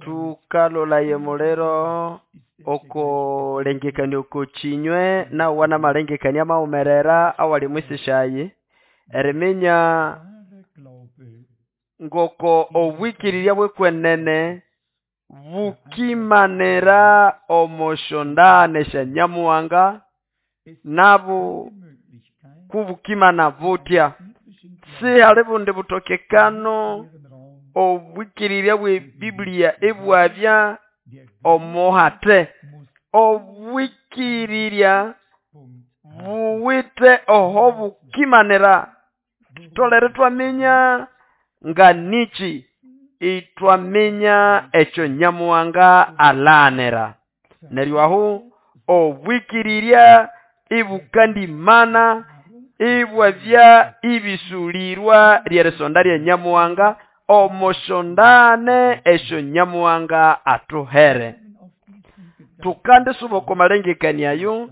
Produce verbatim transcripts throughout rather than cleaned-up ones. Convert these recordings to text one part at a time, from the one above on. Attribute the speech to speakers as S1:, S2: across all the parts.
S1: Tukalolaye muliro okulengekania oko kinywe nawa namalengekania amaghumerera awali omwisisyayi eriminya ngoko obwikirirya bwekwenene bukimanira omo syondane sya Nyamuhanga nabu kubukimana butya. Sihali bundi butokekano obwikirirya bwe Biblia ibwabya omuhate. Obwikirirya buwithe oho bukimanira. Thutholere ithwaminya nga niki ithwaminya ekyo Nyamuhanga alaghanira. Neryo ahu obwikirirya ibukandimana ibwabya ibisulirwa lyerisonda lya Nyamuhanga omo syondane esyo Nyamuhanga athuhere. Tukandisuba oko malengekania ayo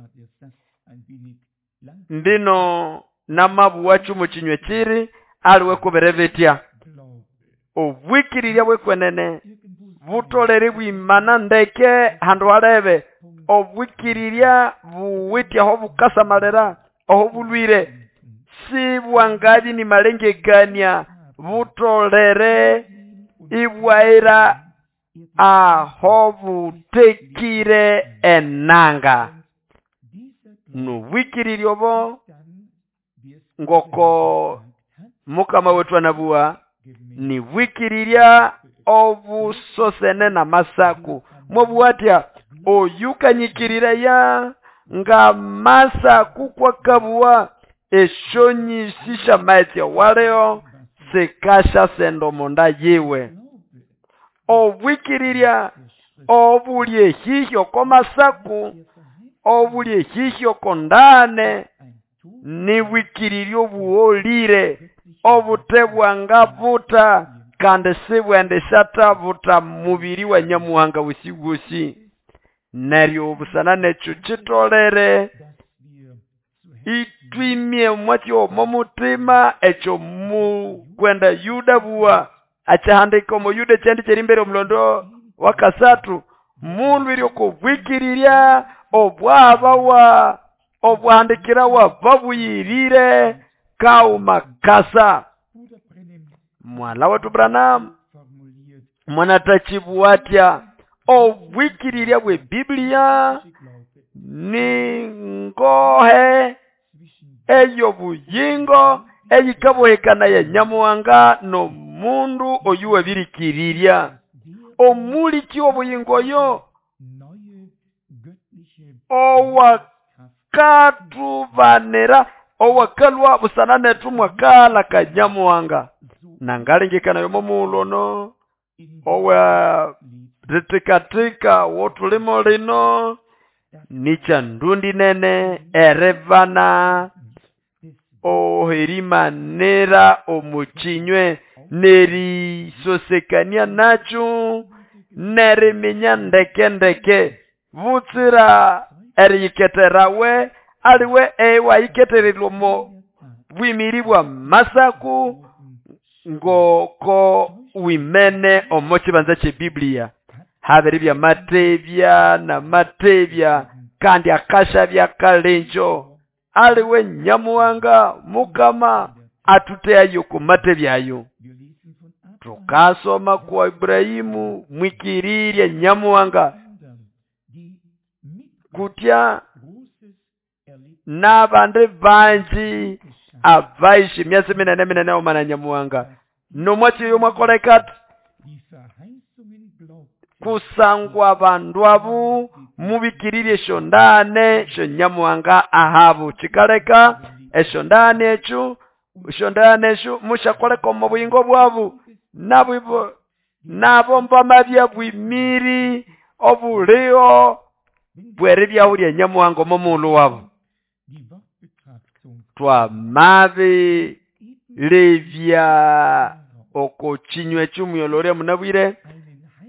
S1: mbino namabuwacho omo kinywa kiri aliwe kubiri bitya. Obwikirirya bwekwenene butolere ibwimana ndeke handu halebe. Obwikirirya buwithe aho bukasamalira aho bulwire sibwangabya nimalengekania butolere ibwaira aho butekire enanga. Nobwikirirya obo ngoko Mukama wetu anabuwa nibwikirirya obusosene n'amasaku. Mwabuwatya oyukanyikirireya nga masaku kwakabuwa esyonyisi syamaghetse awaliho sikasya omonda yiwe. Obwikirirya obuli ehihi oko masaku obuli ehihi oko ndane nibwikirirya obuholire obute bwangabuta kandi sibwendisyabuta mubiri wa Nyamuhanga wosi wosi. Neryo busana nekyo kitolere itwimye omwatsi omo mutima ekyo mukwenda Yuda buwa akyahandika omo Yuda ekyandi kyerimbere omulondo wa kasathu mulwire okubwikirirya obwabawa obwahandikirawa babuyirire kauma kasa. Mwala wetu Branham mwanatachibuwatya obwikirirya bwe Biblia ni ngohe eyo buyingo eyikabohekana ya Nyamuhanga no mundu oyu wabirikirirya. Omuliki obuyingo oyo owakatubanira owakalwa busana nethu mwakala ka Nyamuhanga. Nangalengekana yomo mulono owa ritikatika wotulimo lino nicha ndundi nene erevana oherimanira omukinywe nerisosekania nacho neriminya ndeke ndeke butsira eriyiketerawe aliwe ewayiketererwa omo bwimiri bwa masaku ngoko wimene omo kibanza kye Biblia. Habiri bya matebya na matebya kandi akasha bya kalenjo aliwe Nyamuhanga Mukama atuteayo ku matebyayo. Tukasoma kwa Ibrahimu mwikirirya Nyamuhanga kutya n'abandi banji abaishi myasi minene minene omana Nyamuhanga nomwatsi oyo mwakoleka kusangwa abandu abo mubikirirye esyondane esyo Nyamuhanga ahabu kikaleka esyondane ekyo esyondane esyo musyakoleka omu buyingo bwabu nabo nabo mbamabya bwimiri obuliho bweribyaho lya Nyamuhanga omo mughulhu wabu. Twamabi levya oko kinywa eky'omuyolorya munabwire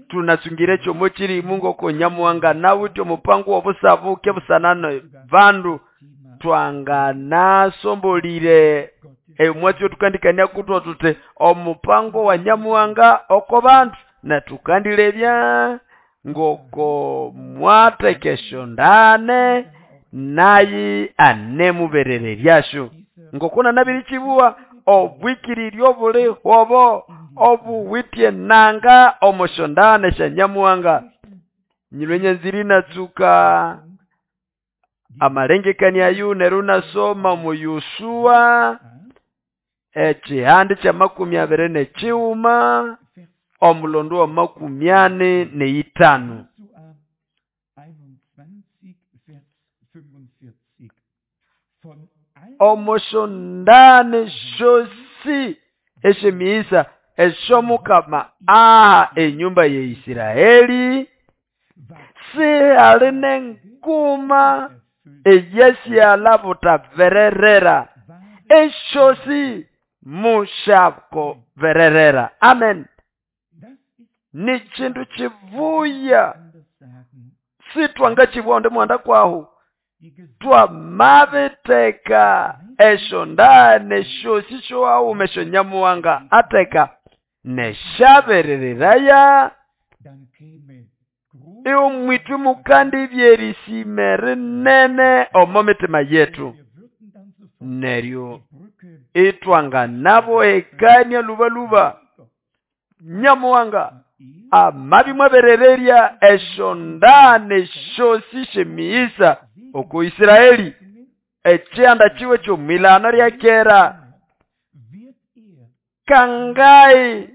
S1: tunasungire ekyomo kiri Mungu oko Nyamuhanga nawithe omupango w'obusabuke busanana bandu twanganasombolire Emwatsi otukandikania kutwa tuti omupango wa Nyamuhanga oko bandu, netukandilebya ngoko mwatekesyo ndane naye anemuberereryasyo. Ngoko nanabirikibuwa obwikiriryo buli hobo obuwitye nanga omosyo ndane sya Nyamuhanga. Nyilwe nyanziri natsuka amalengekania ayo neryo nasoma mu Yoshua ekihande kya makumi abiri nekighuma omulondo wa makumi ane neitano. Omosyo ndane syosi esyemiisa esyomukama aha enyumba ya Isiraeli sihali nenguma eyasyala butabererera, esyosi mushakobererera. Amen. Ni kindu kivuya sitwangakibwa onde mwanda kwahu twamabiteka esyo ndane syosi syoawuma esyo Nyamuhanga ateka neshaberereraya iwo mwithu mukandi byerisime rinene omo mitima yetu. Neryo itwanganabohekania lubaluba Nyamuhanga amabi mwaberererya esyo ndane syosi syemiisa oko Isiraeli ekyanda kiwe kyomwilano lya kera kangai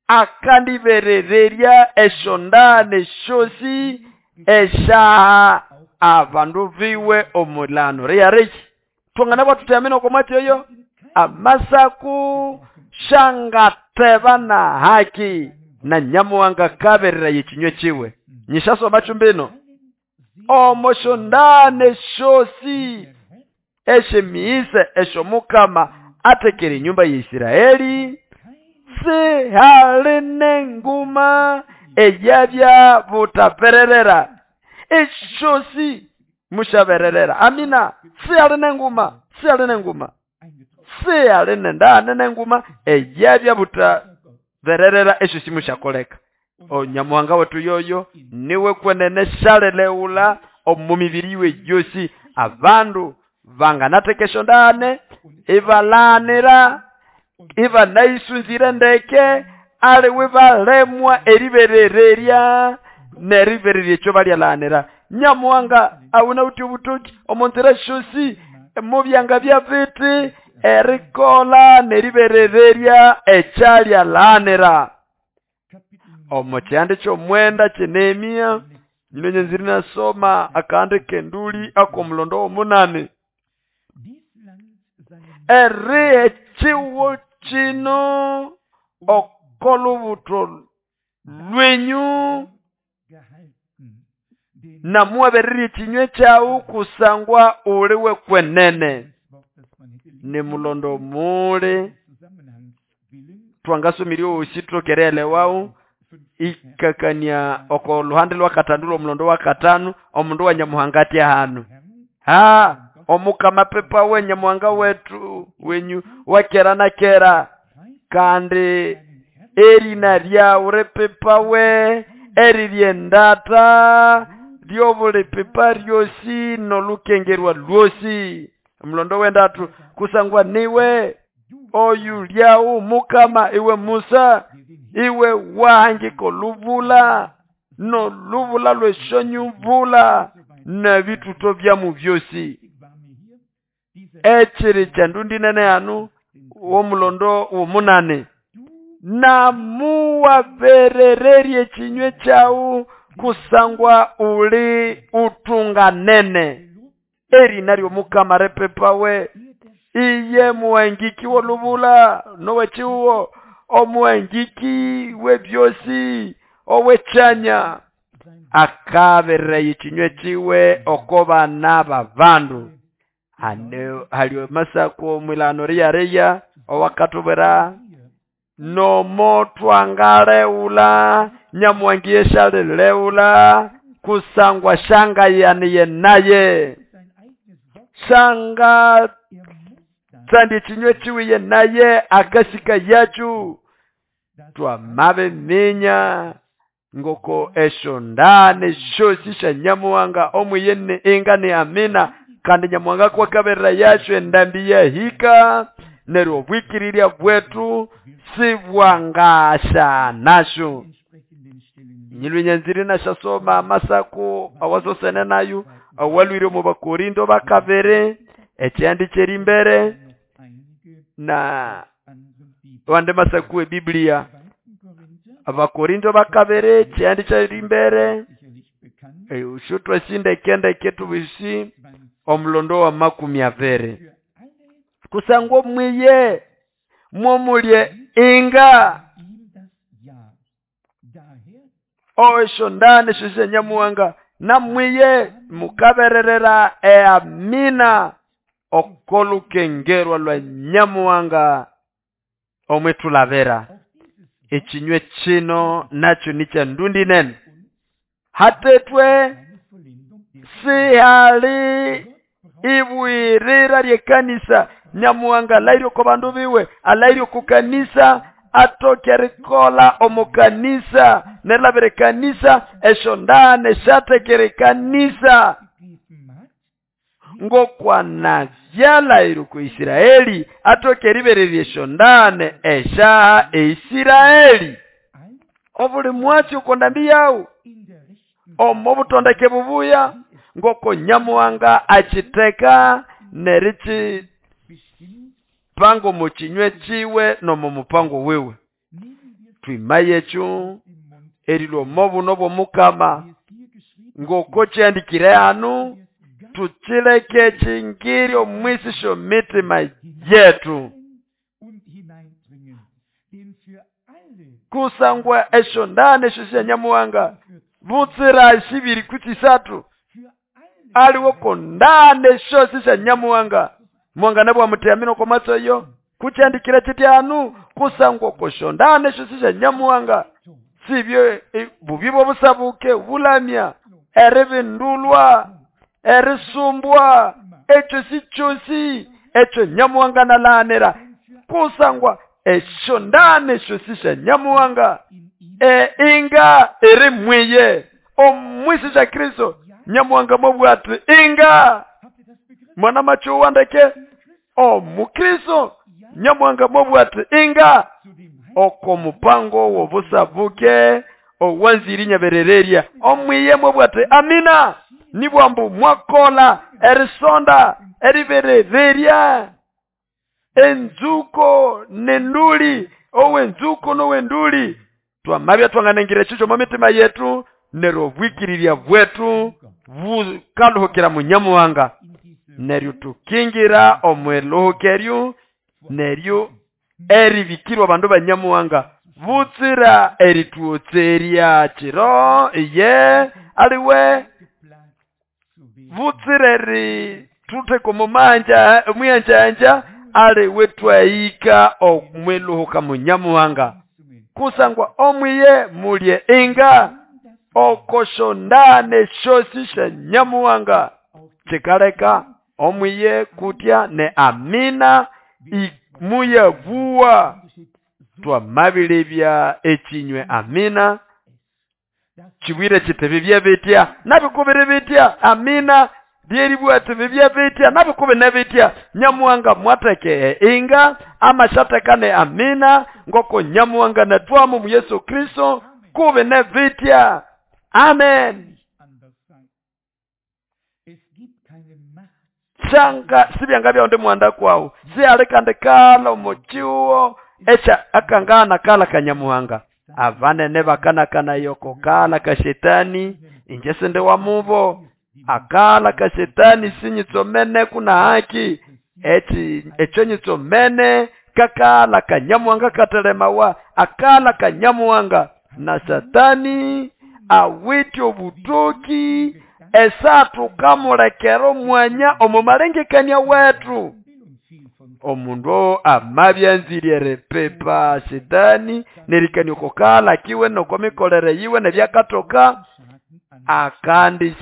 S1: akandiberererya esyo ndane syosi esyaha abandu biwe omulano liyariki. Twangana bwathuteamina oko mwatsi oyo amasaku shangateba na haki na Nyamuhanga kaberera yekinywe kiwe. Nyishasoma chumbino omosyo ndane syosi esyemiisa esyomukama atekere enyumba ya Isiraeli sihali nenguma eyabya butabererera esyosi mushabererera. Amina. Sihali nenguma, sihali nenguma, sihali nendane nenguma eyabya butabererera esyosi mushakoleka. Onyamuhanga wetu yoyo niwe kwenene shaleleula omu mibiri iwe yosi abandu banganatekesyo ndane ibalanira ibanaisunzire ndeke aliwe balemwa eriberererya neribererya ekyo balyalanira. Nyamuhanga awuna uti obutoki omunzira syosi mubyanga bya biti erikola neriberererya ekyalyalanira. Omo kyande kyomwenda kye Nehemia nyino nyanziri nasoma akandi kenduli akomulondo womunani eri ekiwo kino okolubuto lwenyu namuwabererye ekinywe kyawu kusangwa uliwe kwenene. Ni mulondo muli twangasomirye osi tukerelewawu ikakania oko luhande lwa katanu lwomulondo wa katanu omundu wa Nyamuhanga atya hanu ha omukama pepa we Nyamuhanga wetu wenyu wakera na kera kandi erina lyawu ripepa we eri lyendata lyobuli pepa lyosi nolukengerwa lwosi. Omulondo wendatu kusangwa niwe oyu lyawu mukama iwe Musa iwe wahangika olubula nolubula lweshonyubula nebituto byamu byosi. Ekiri kyandundi nene hanu womulondo womunane namuwaberererye ekinywe kyawu kusangwa uli utunganene. Erina lyomukama ripepawe iye muhangiki wolubula nowekiwo omuhangiki webyosi owekyanya akaberera ekinywe kiwe oko bana babandu. Hane hali masako mwilano riyareya owakatubera nomo twangaleula Nyamuhangi eshaleleula kusangwa shangayaniye naye. Shanga tsandi ekinywe kiwiye naye akasika yacu. Twamabiminya ngoko esyo ndane syosi sya Nyamuhanga omwiye ni inga ni amina, kandi Nyamuhanga kwakaberera yacu endambi yahika neryo obwikirirya bwetu sibwangasha nasyo. Nyilwe nyanziri nashasoma amasaku awasosene nayo awalwire omu Bakorindo bakabiri ekyandi kyeri mbere na wande masaku e Biblia Abakorindo bakabiri kyandi kyeri mbere ushutwa sindekendeke tubisi omulondo wa makumi abiri kusangwa mwiye mwomulye inga oesho ndane shushe Nyamuhanga namwiye mukabererera eamina okolukengerwa lwa Nyamuhanga omwetulabera. Ekinywe kino nakyo ni kya ndundi nene hatetwe sihali ibwirira lyekanisa. Nyamuhanga alairyo ko bandu biwe, alairyo ku kanisa, atoke rikola omukanisa nerabere kanisa esho ndane shatekere kanisa ngokwana vyalairyo ku Isiraeli atoke ribererye esho ndane esha Isiraeli. Obuli mwatsi ukondambi yawu omo butondeke bubuya ngoko Nyamuhanga achiteka nerichi pango muchinywe chiwe nomo mupango wewe. Twimayechu erilwo mobu nobo mukama ngoko kyandikire hanu tuchileke chingiri omwisisho mitima yetu kusangwa esho ndane esho sya Nyamuhanga butsira shibiri kutisatu aliwo ndane esho sya Nyamuhanga mwanga nabwo amuteamino kwa matso yo kuchandikira chiti anu kusangwa kosho ndane esho sya Nyamuhanga sibyo e, bubibo busabuke bulamya eribindulwa erisumbwa ekyo si kyosi ekyo Nyamuhanga nalanira kusangwa esho ndane esho sya Nyamuhanga e inga eri mwiye omwisi sya Kristo Nyamuhanga mobwati inga mwana macho wandeke omukristo Nyamuhanga mobwati inga oko mupango wobusabuke owanziri nyaberererya omwiye mobwati amina nibwambu mwakola erisonda eriberererya enzuko nenduli owenzuko nowenduli twamabya twanganengire chicho mu mitima yetu neryo obwikirirya bwetu bukaluhukira mu Nyamuhanga neryo tukingira omweluhukeryo neryo eribikirwa bandu ba Nyamuhanga butsira erituotserya chiro iye aliwe butsira eri tuteko mumanja muyanjanja aliwe twaika omweluhuka mu Nyamuhanga kusangwa omwiye mulye inga okoshondane shosi sha Nyamuhanga chikaleka omwiye kutya ne amina imuyavuwa twamabilibya ekinywe amina kibwire kitebe byabetya nabikubire bitya amina lyeribwate byabetya nabikube nabetya Nyamuhanga mwateke inga amashatekane amina ngoko Nyamuhanga natwamu mu Yesu Kristo kube nebitya. Amen. Shanga sibyanga byonde mwanda kwawo sialekande kala omuchiwo echa akangana kala kanyamuhanga avanene bakanakana yoko kala ka shetani inje sende wa mubo akala ka shetani sinyitsomene kuna haki eti echo nyitsomene kakala kanyamuhanga katelemawa akala kanyamuhanga na satani awite obutoki esatu kamulekero mwanya omumalengekania wetu omundu amabyanzirye repepa shetani nerikani kokala kiwe nokomikolere yiwe nebyakatoka akandi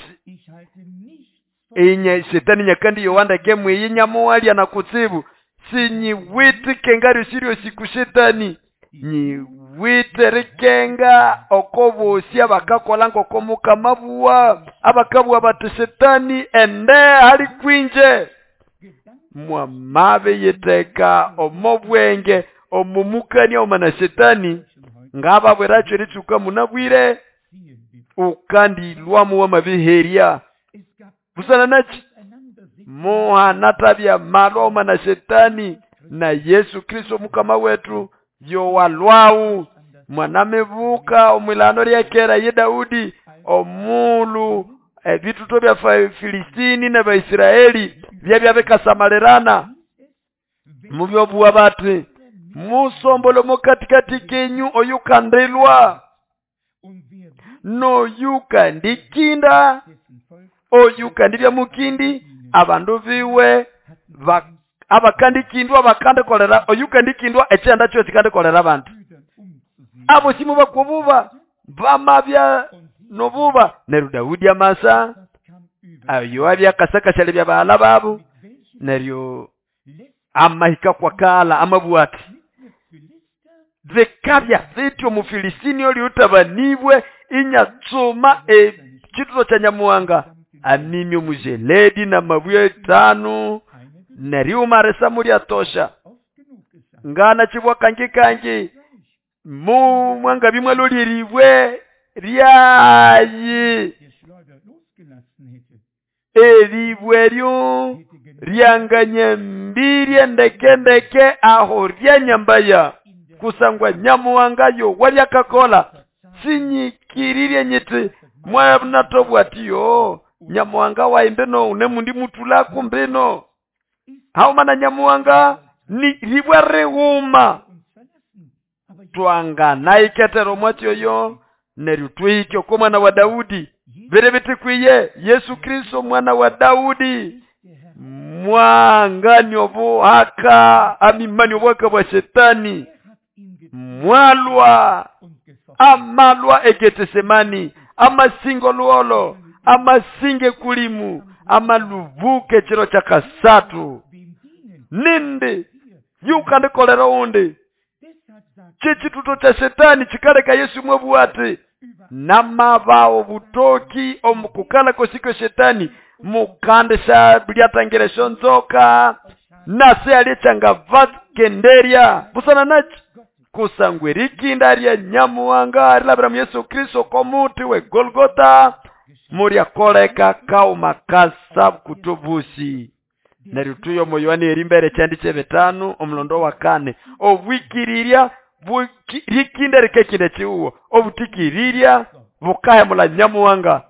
S1: Inye shetani nyakandi yowandeke mwiyi nyamuwalya na kutsibu. Sinyiwite kenga ryosi ryosi ku shetani. Nyiwite rikenga oko bosi abakakola ngoko mukama buwa, abakabuwa bati shetani ende hali kwinje. Mwamabe yiteka omo bwenge omumukania omana shetani ngababwiracho eritsuka munabwire ukandilwamu wamabiherya busana nachi muhanatabya malwa omana shetani na Yesu Kristo mukama wetu yowalwau mwanamibuka omwilano lyakera ye Daudi omulu ebituto bya Filistini na Baisraeli byabya bikasamalirana mubyobuwa bati musombolo mukatikati kenyu oyukandilwa noyukandikinda oyukandibya mukindi abandu biwe abakandikindwa bakandikolera oyukandikindwa ekyenda kyo kikandikolera abantu abo simu bakububa bamabya nobuba neryo Daudi amasa ayo abyakasakasale bya bahala babo neryo amahika kwakala amabwati vikabya vityo Mufilistini oliutabanibwe inyatsuma ekituto kya Nyamuhanga amimye omujeledi na mabwe etano neryo umaresa mulyatosha ngana chibwa kangi kangi mu mwanga bimwaloliribwe ryayi eribwe ryo ryanganye mbirye ndeke ndeke aho ryanyambaya kusangwa Nyamuhanga yo walyakakola sinyikiririe nyiti mwanatobwatiyo Nyamuhanga waimbeno unemundi mutula kumbino haumana Nyamuhanga ni ribwe righuma twanganaiketero mwatyoyo neryo twihike oko mwana wa Daudi biri bitikwiye Yesu Kristo mwana wa Daudi mwangani obuhaka amimani obuhaka bwa shetani mwalwa amalwa egetesemani amasingo luolo amasinge kulimu amalubuke chiro cha kasatu nindi yukandikolera undi chechituto cha shetani chikaleka Yesu mwabwati namabao butoki omukukala kosiko shetani mukandisha bilyatangira shonzoka nase alichanga vakenderya busana nachi kusangwe rikinda lya Nyamuhanga rilabira Yesu Kristo komuti we Golgotha muryakoleka kauma kasa kutobusi neryo tuyo moyohana erimbere kyandi kyebitano omulondo wa kane obwikirirya rikinda rikekinde chiuwo obutikirirya bukahemula Nyamuhanga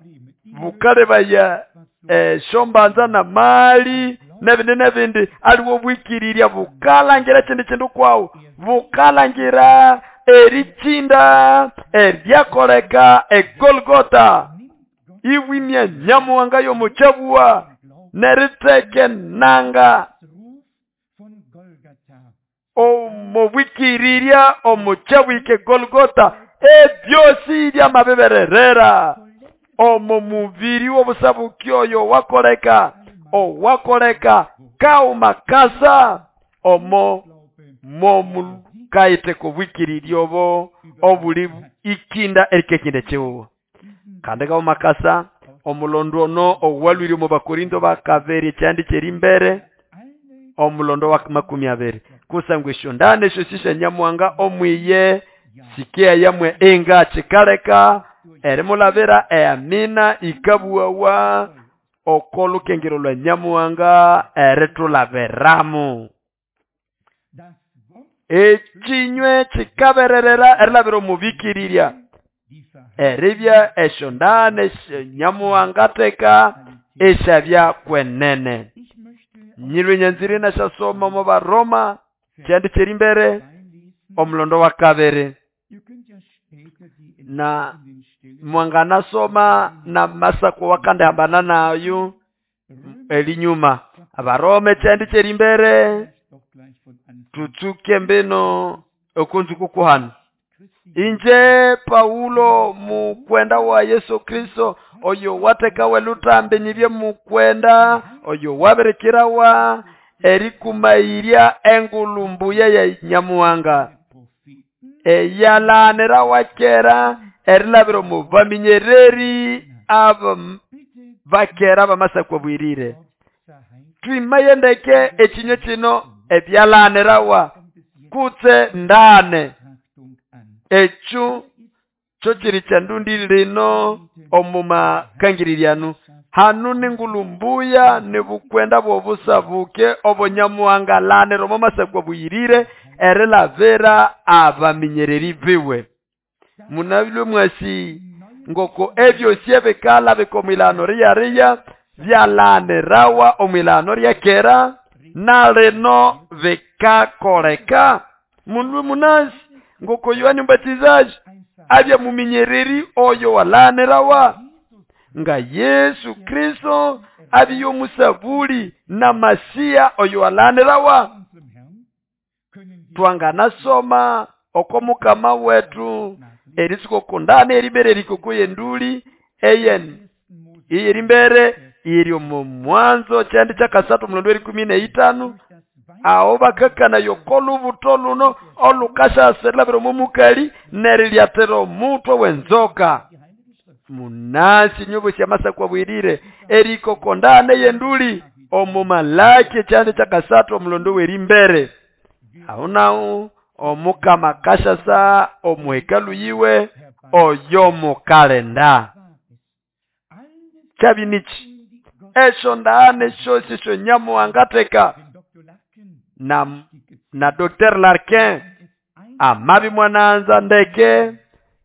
S1: bukalebaya eh, shombanza na mali nebindi nebindi aliwo bwikirirya bukalangira chindi chindu kwawo bukalangira erikinda eryakoleka egolgotha iwimya Nyamuhanga yomuchabuwa neriteke nanga omubwikirirya omuchabwike Golgotha ebyosi byamabibererera omo mubiri w'obusabuki oyo wakoleka owakoleka kaumakasa omo momukaite kubwikirirya obo obuli ikinda erikekinda chiwo kandi kaumakasa omulondo ono owalwire mu Bakorinto bakabiri kyandi kyerimbere omulondo wa makumi abiri kusangwa eshondane esyo Nyamuhanga omwiye sikia yamwe enga chikaleka erimulabira eamina ikabuwawa okolukengero lwa Nyamuhanga eritulabiramu ekinywe kikabererera erilabira omubikirirya eribya eshondane Nyamuhanga teka eshabya kwenene nyilwe nyanziri nashasoma mu Baroma kyandi kyerimbere omulondo wa kabiri na mwanganasoma na masako wakande hambana nayo elinyuma Abarome kyandi kyerimbere tutsuke mbino okunzuku kuhana inje Paulo mukwenda wa Yesu Kristo Oyo watekawa elutambi nyibye mukwenda oyo wabirikirawa erikumairya engulu mbuya ya Nyamuhanga eyalanirawa kera erilabira omu baminyereri aba bakera bamasakwa bwirire. Twimayendeke ekinywa kino ebyalanirawa kutse ndane ekyo kyo kiri kyandundi lino omu makangirirano. Hanu ningulu mbuya nibukwenda bw'obusabuke obo Nyamuhanga lanira omu masakwa bwirire erilavira abaminyereri biwe. Munabilwe mwasi ngoko ebyosi ebikala bikomwilano riyariya byalanirawa omwilano ryakera nalino bikakoleka. Mundu munasi ngoko Yohana Mbatizaji abya muminyereri oyo walanirawa nga Yesu Kristo abiyo musabuli na Masia oyo walanirawa. Twanganasoma oko mukama wetu eritsuko kundane eribere erikoko yenduli eyen iyerimbere iri omu mwanzo kyandi kyakasatu mulondo erikumi neitano aho bakakana yokolubuto luno olukashaserelabira omu mukali nerilyatera omutwe wenzoka. Munasi nyobosi amasakwa bwirire erikokondane yenduli omu Malaki kyandi kyakasatu omulondo werimbere. Aho naho omukama kashasa omuhekalu yiwe oyo mukalenda. Kyabinichi esho ndaane shosi sho Nyamuhanga teka na na Docteur Larkin amabi mwananza ndeke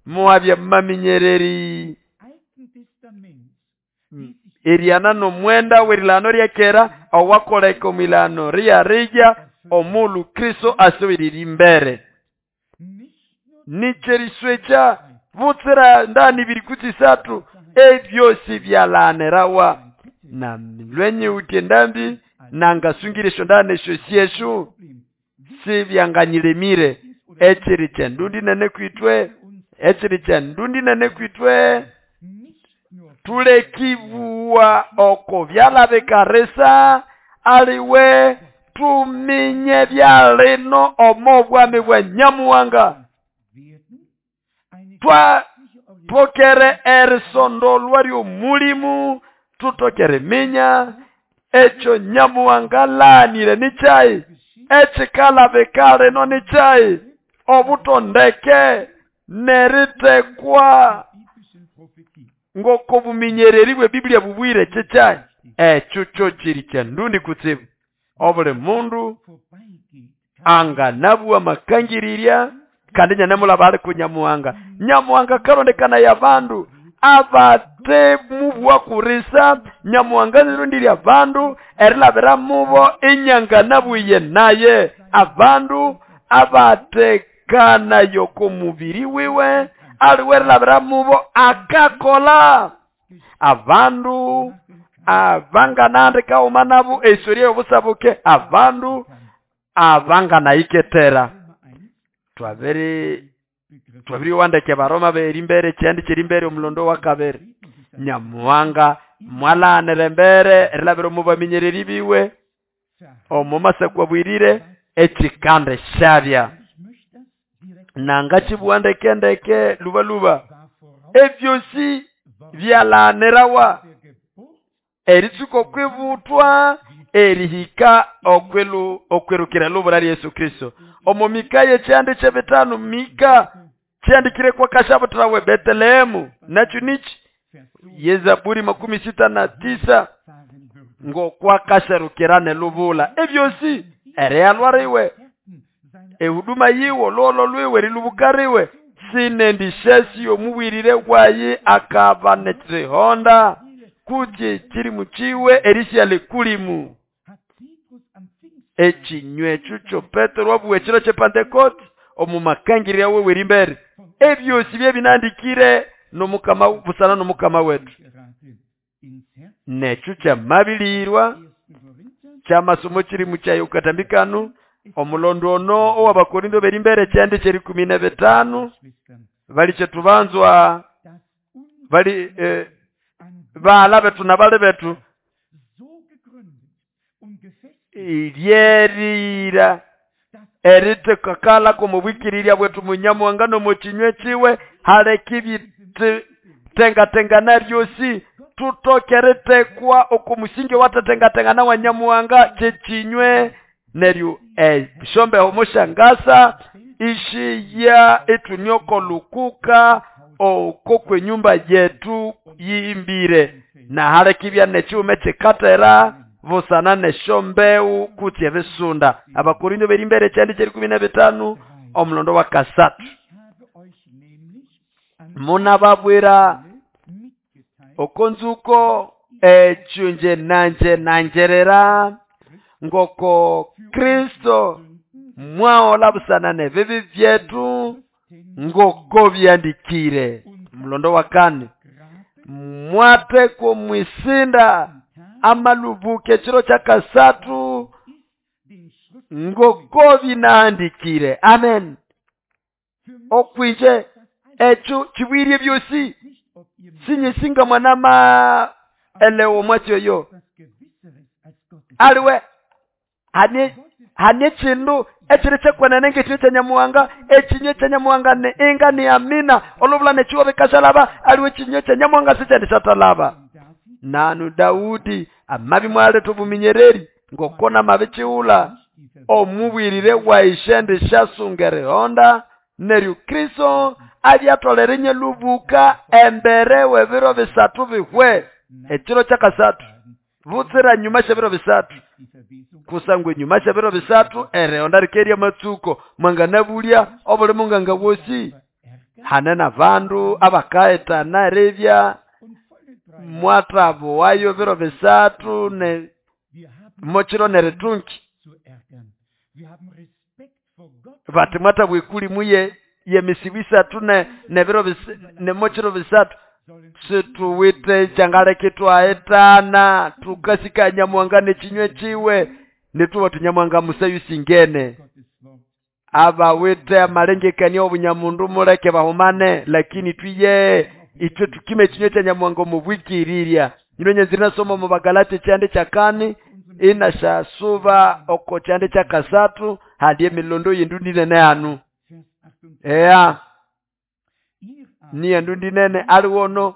S1: muabye maminyereri eriana no mwenda werilano ryakera awakoleka omilano riyarija omulu Kristo asubirira imbere. Nicheriswecha butsira ndani biri kutisatu ebyosi byalanerawa na lwenye utendambi nangasungirisho ndane shosiyeshu sibyanganyilemire echiri chendundi nene kwitwe echiri chendundi nene kwitwe tulekivuwa oko byalabekaresa aliwe tuminye byalino omo bwami bwa Nyamuhanga. Twa tokere erisondolwa ry'omulimu tutokere minya ekyo Nyamuhanga lanire nichai ekikalabekale no nichai obutondeke neritekwa ngoko buminyereri bwe Biblia bubwire chichai ekyo kyo kiri kyandundi kutsibu. Obuli mundu anganabuwa makangirirya kandi nyanemulaba ali ku Nyamuhanga. Nyamuhanga karondekana ya bandu abate mubwa kurisa. Nyamuhanga nirundirya bandu erilabira mubo inyanganabuye naye abandu abatekana yoko mubiri wiwe aliwe erilabira mubo akakola abandu abanganandika omanabu esoria yobusabuke abandu abanganaiketera. Twabere twabiri wandeke Baroma berimbere kyandi kirimbere omulondo wa kabere. Nyamuhanga mwalanire mbere erilabira omu baminyereri biwe omu masakwa bwirire ekikande shabya nanga kibuwandeke ndeke luba luba ebyosi byalanirawa eritsuko kwibutwa erihika okwelu okwerukira lubura Yesu Kristo. Omo Mika yekyandi kyebitano Mika kyandikire kwa kashabutirawe Betlehemu nakyo nichi Yezaburi makumi sita na tisa ngo kwa kasharukirane lubula ebyosi ereyalwariwe ehuduma yiwo lolo lwiwe rilubukariwe sinendishesi omubwirire wayi akaba netihonda kuti kiri muchiwe erisia likulimu ekinywa ekyo Petero wabuwe ekiro kye Pentecost omu makangirira wewe rimbere ebyosi byebinandikire nomukama busana nomukama wetu. Nekyo kyamabilirwa kyamasomo kiri mukyayo katambikano omulondo ono ow'Abakorinto berimbere kyandi kyeri kumi na bitano bali kyetubanzwa bali eh, Baala betu na bali betu iryerira eritekakala komubwikirirya bwetu munyamuhanga nomukinywe kiwe haleka ibitengatengana byosi tutoke eritekwa okomusingi owatetengatengana wa nyamuhanga kyekinywe neryo eshombeho moshangasa ishiya ithuniokolukuka oko kwenyumba yetu yimbire na haleka ibya nekiwuma ekikatera busana neshombewu kutse ebisunda. Abakorinto berimbere ekyandi kyerikumi na bitano omulondo wa kasatu munababwira okonzuko ekyo nje nanje nanjerera ngoko Kristo mwaola busana nebibi byetu ngoko byandikire. Mulondo wa kane mwatekwa mwisinda amalubuke ekiro kya kasatu ngoko binaandikire. Amen. Okwije ekyo kibwirye byosi sinyisinga mwanama elewo mwatyoyo aliwe hane hane kindu ekiri kyekwenene ng'ekinyu kya nyamuhanga ekinyu kya nyamuhanga ne inga ni amina olubula nekiwa bikashalaba aliwe ekinyu kya nyamuhanga sikyandishatalaba. Nanu Daudi amabi mwaletha obuminyereri ngokona mabikiwula omubwirire waishe shasunga erihonda neryo Kristo abyatolera enyelubuka embere w'ebiro bisatu bihwe ekiro kyakasatu butsira nyuma syebiro bisatu kusangwa enyuma syebiro bisatu erihonda rikerya amatsuko mwanganabulya obuli munganga wosi hane n'abandu abakahetana eribya mwathabuwayo biro bisatu ne mokiro neritunki bati mwatabwa ekulimu ye yemisibu isatu ne nebiro ne mokiro bisatu situwite kyangaleka twahitana tukasika nyamuhanga nekinywe kiwe nituba tunyamuhanga musayu singene abawite amalengekania obunyamundu muleke bahumane lakini twiye itwe tukime ekinywe kya nyamuhanga omubwikirirya. Nyino nyenzire nasoma mu Bagalati kyande kyakani inashasuba oko kyande kyakasatu hali emilondo yindu ndinene anu ea ni endu ndinene aliwo ono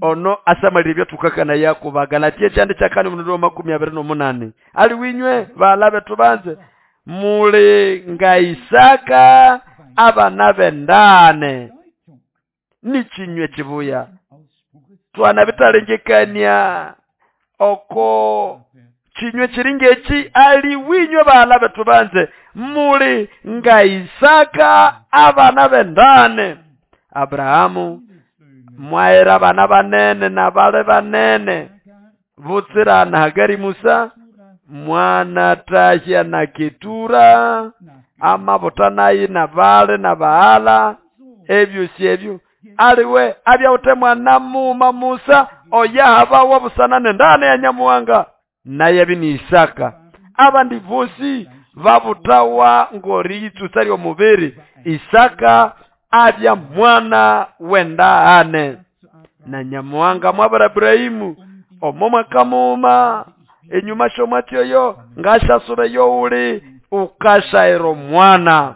S1: ono asamalire ebyathukakana yako. Bagalati ekyande kyakani omulondo wa makumi abiri n'omunani ali winywe baala bethu banze muli nga Isaka abana bendane nikinywe kibuya twana bitalengekania oko kinywe kiringa eki ali winywe baala bethu banze muli nga Isaka abana bendane. Abrahamu mwaera abana banene nabale banene butsira na Hagari Musa mwana tahya na Ketura amabutanayi nabale nabaala ebyo si ebyo aliwe abyawute mwana muma Musa oyahabawa busana nendane ya nyamuhanga naye bini Isaka abandi bosi babutawa ngori itsutsa ly'omubiri Isaka abya mwana wendane na nyamuhanga mwabara Ibrahimu omo mwaka muma enyuma shomwatyoyo ngashasure youli ukashairo mwana.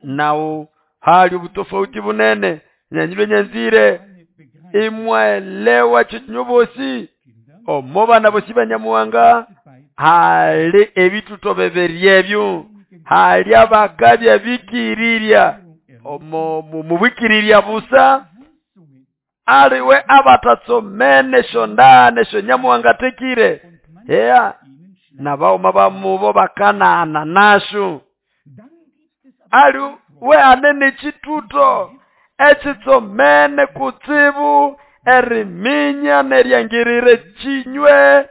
S1: Nawo hali ubutofauti bunene nyanyilwe nyanzire imwaelewa chinyubosi omo bana bosi banyamuhanga hali ebituto beberyebyo hali abakabya bikirirya omo mubwikirirya busa aliwe abatatsomene shondane shonyamuhanga tekire ea nabauma bamubo bakanana nashu ali we anene chituto ekitsomene kutsibu eriminya neryangirire chinywe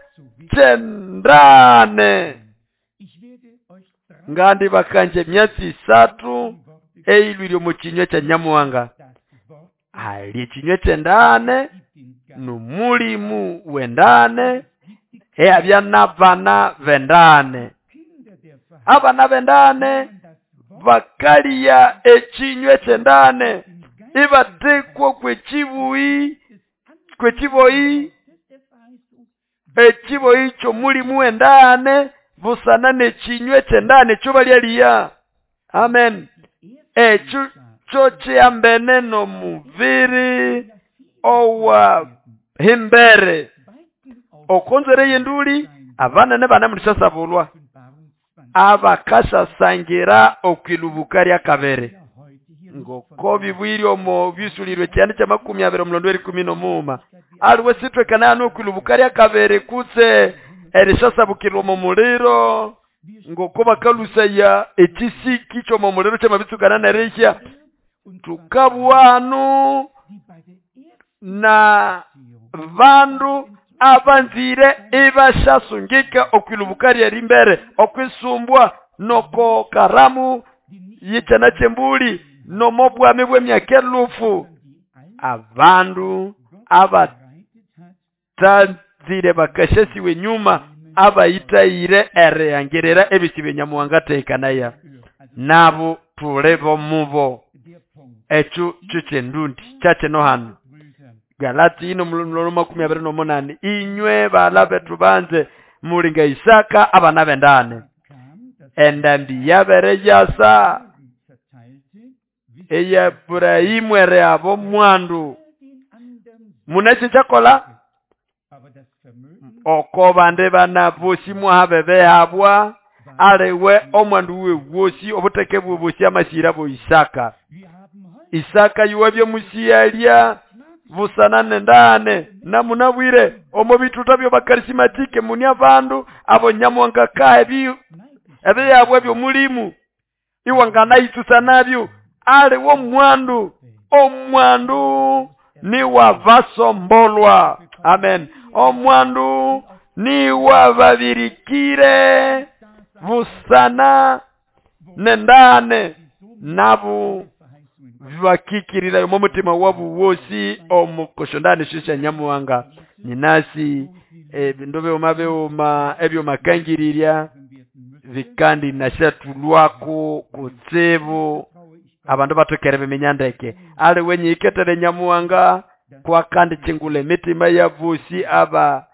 S1: kyendane. Ngandi bakanje emyatsi isatu eyilwire omu kinywe kya nyamuhanga hali ekinywe kyendane nomulimu wendane eabya n'abana bendane abana bendane bakaliya ekinywe kyendane Ibatekwa kw'ekibuyi kw'ekiboyi ekiboyi ky'omulimu w'endane busana n'ekinywa eky'endane ekyo balyaliya. Amen. Ekyo kyo kyihambene n'omubiri owa himbere. Okonzere y'enduli abanene banemundishasabulwa abakasasangira okwilubuka lya kabere ngoko bibwiri omo bisulirwe kyane kya makumi abiri omulondo erikumi n'omuuma aliwe sitwekana hano okwilubuka lya kabere kutse erishasabukirwa omu muliro ngoko bakalusaya ekisiki ky'omu muliro kyamabitsukana nerihya. Tukabwanu na bandu abanzire ibashasungika okwilubuka lyerimbere okwisumbwa noko karamu yikyana kyembuli nomobwami bw'emyaka elufu. Abandu abatanzire bakashasiwe nyuma abayitayire erihangirira ebisibe Nyamuhanga atekanaya nabo tule bomubo. Ekyo kyo kyendundi kyakyino hano Galati ino mulono makumi abiri n'omunani inywe bala bethu banze mulinga Isaka abana b'endane endambi yabere yasa eya Ibrahimu ere abo mwandu munasi kyakola oko bande bana bosi mwaha behabwa aliwe omwandu we wosi obuteke bwe bosi amasira bo Isaka. Isaka yuwabye musiyalya busana nendane namunabwire omo bituta byo bakarisimatike muni abandu abo Nyamuhanga kahe bi ebiyabwe byomulimu iwangana itusa nabyo aliwo mwandu omwandu ni wavasombolwa. Amen. Omwandu ni wababirikire busana nendane nabo bakikirira omu mutima wabu wosi omukoshondane shisha Nyamuhanga ninasi ebindu byoma byoma ebyo makangirirya vikandi nashatulwako kutsibu abandu batokere biminya ndeke ali wenyiketere Nyamuhanga kwa kandi chingule mitima ya bosi aba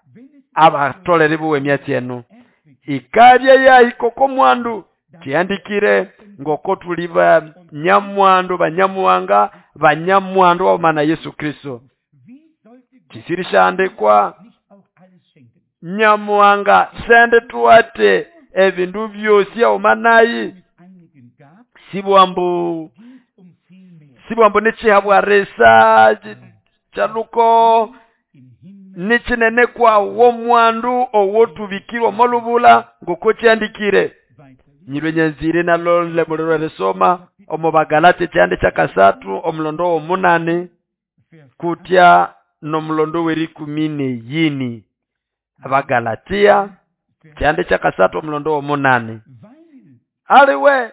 S1: abatolere buwe emyatsi eno ikabya yahikoko mwandu kiandikire ngoko tuli banyamwandu banyamuhanga banyamwandu wamana Yesu Kristo. Kisirishandikwa Nyamuhanga sende tuwate ebindu byosi omanayi sibwambu sibwambu nechihabwa resa chaluko nichinene kwa wo mwandu owotubikirwa molubula ngoko kyandikire nyirwe nyanzire nalo lemuliro resoma omo Bagalati kyande kyakasatu omulondo omunane kutya nomulondo werikumi neyini. Abagalatia kyande kyakasatu omulondo omunane aliwe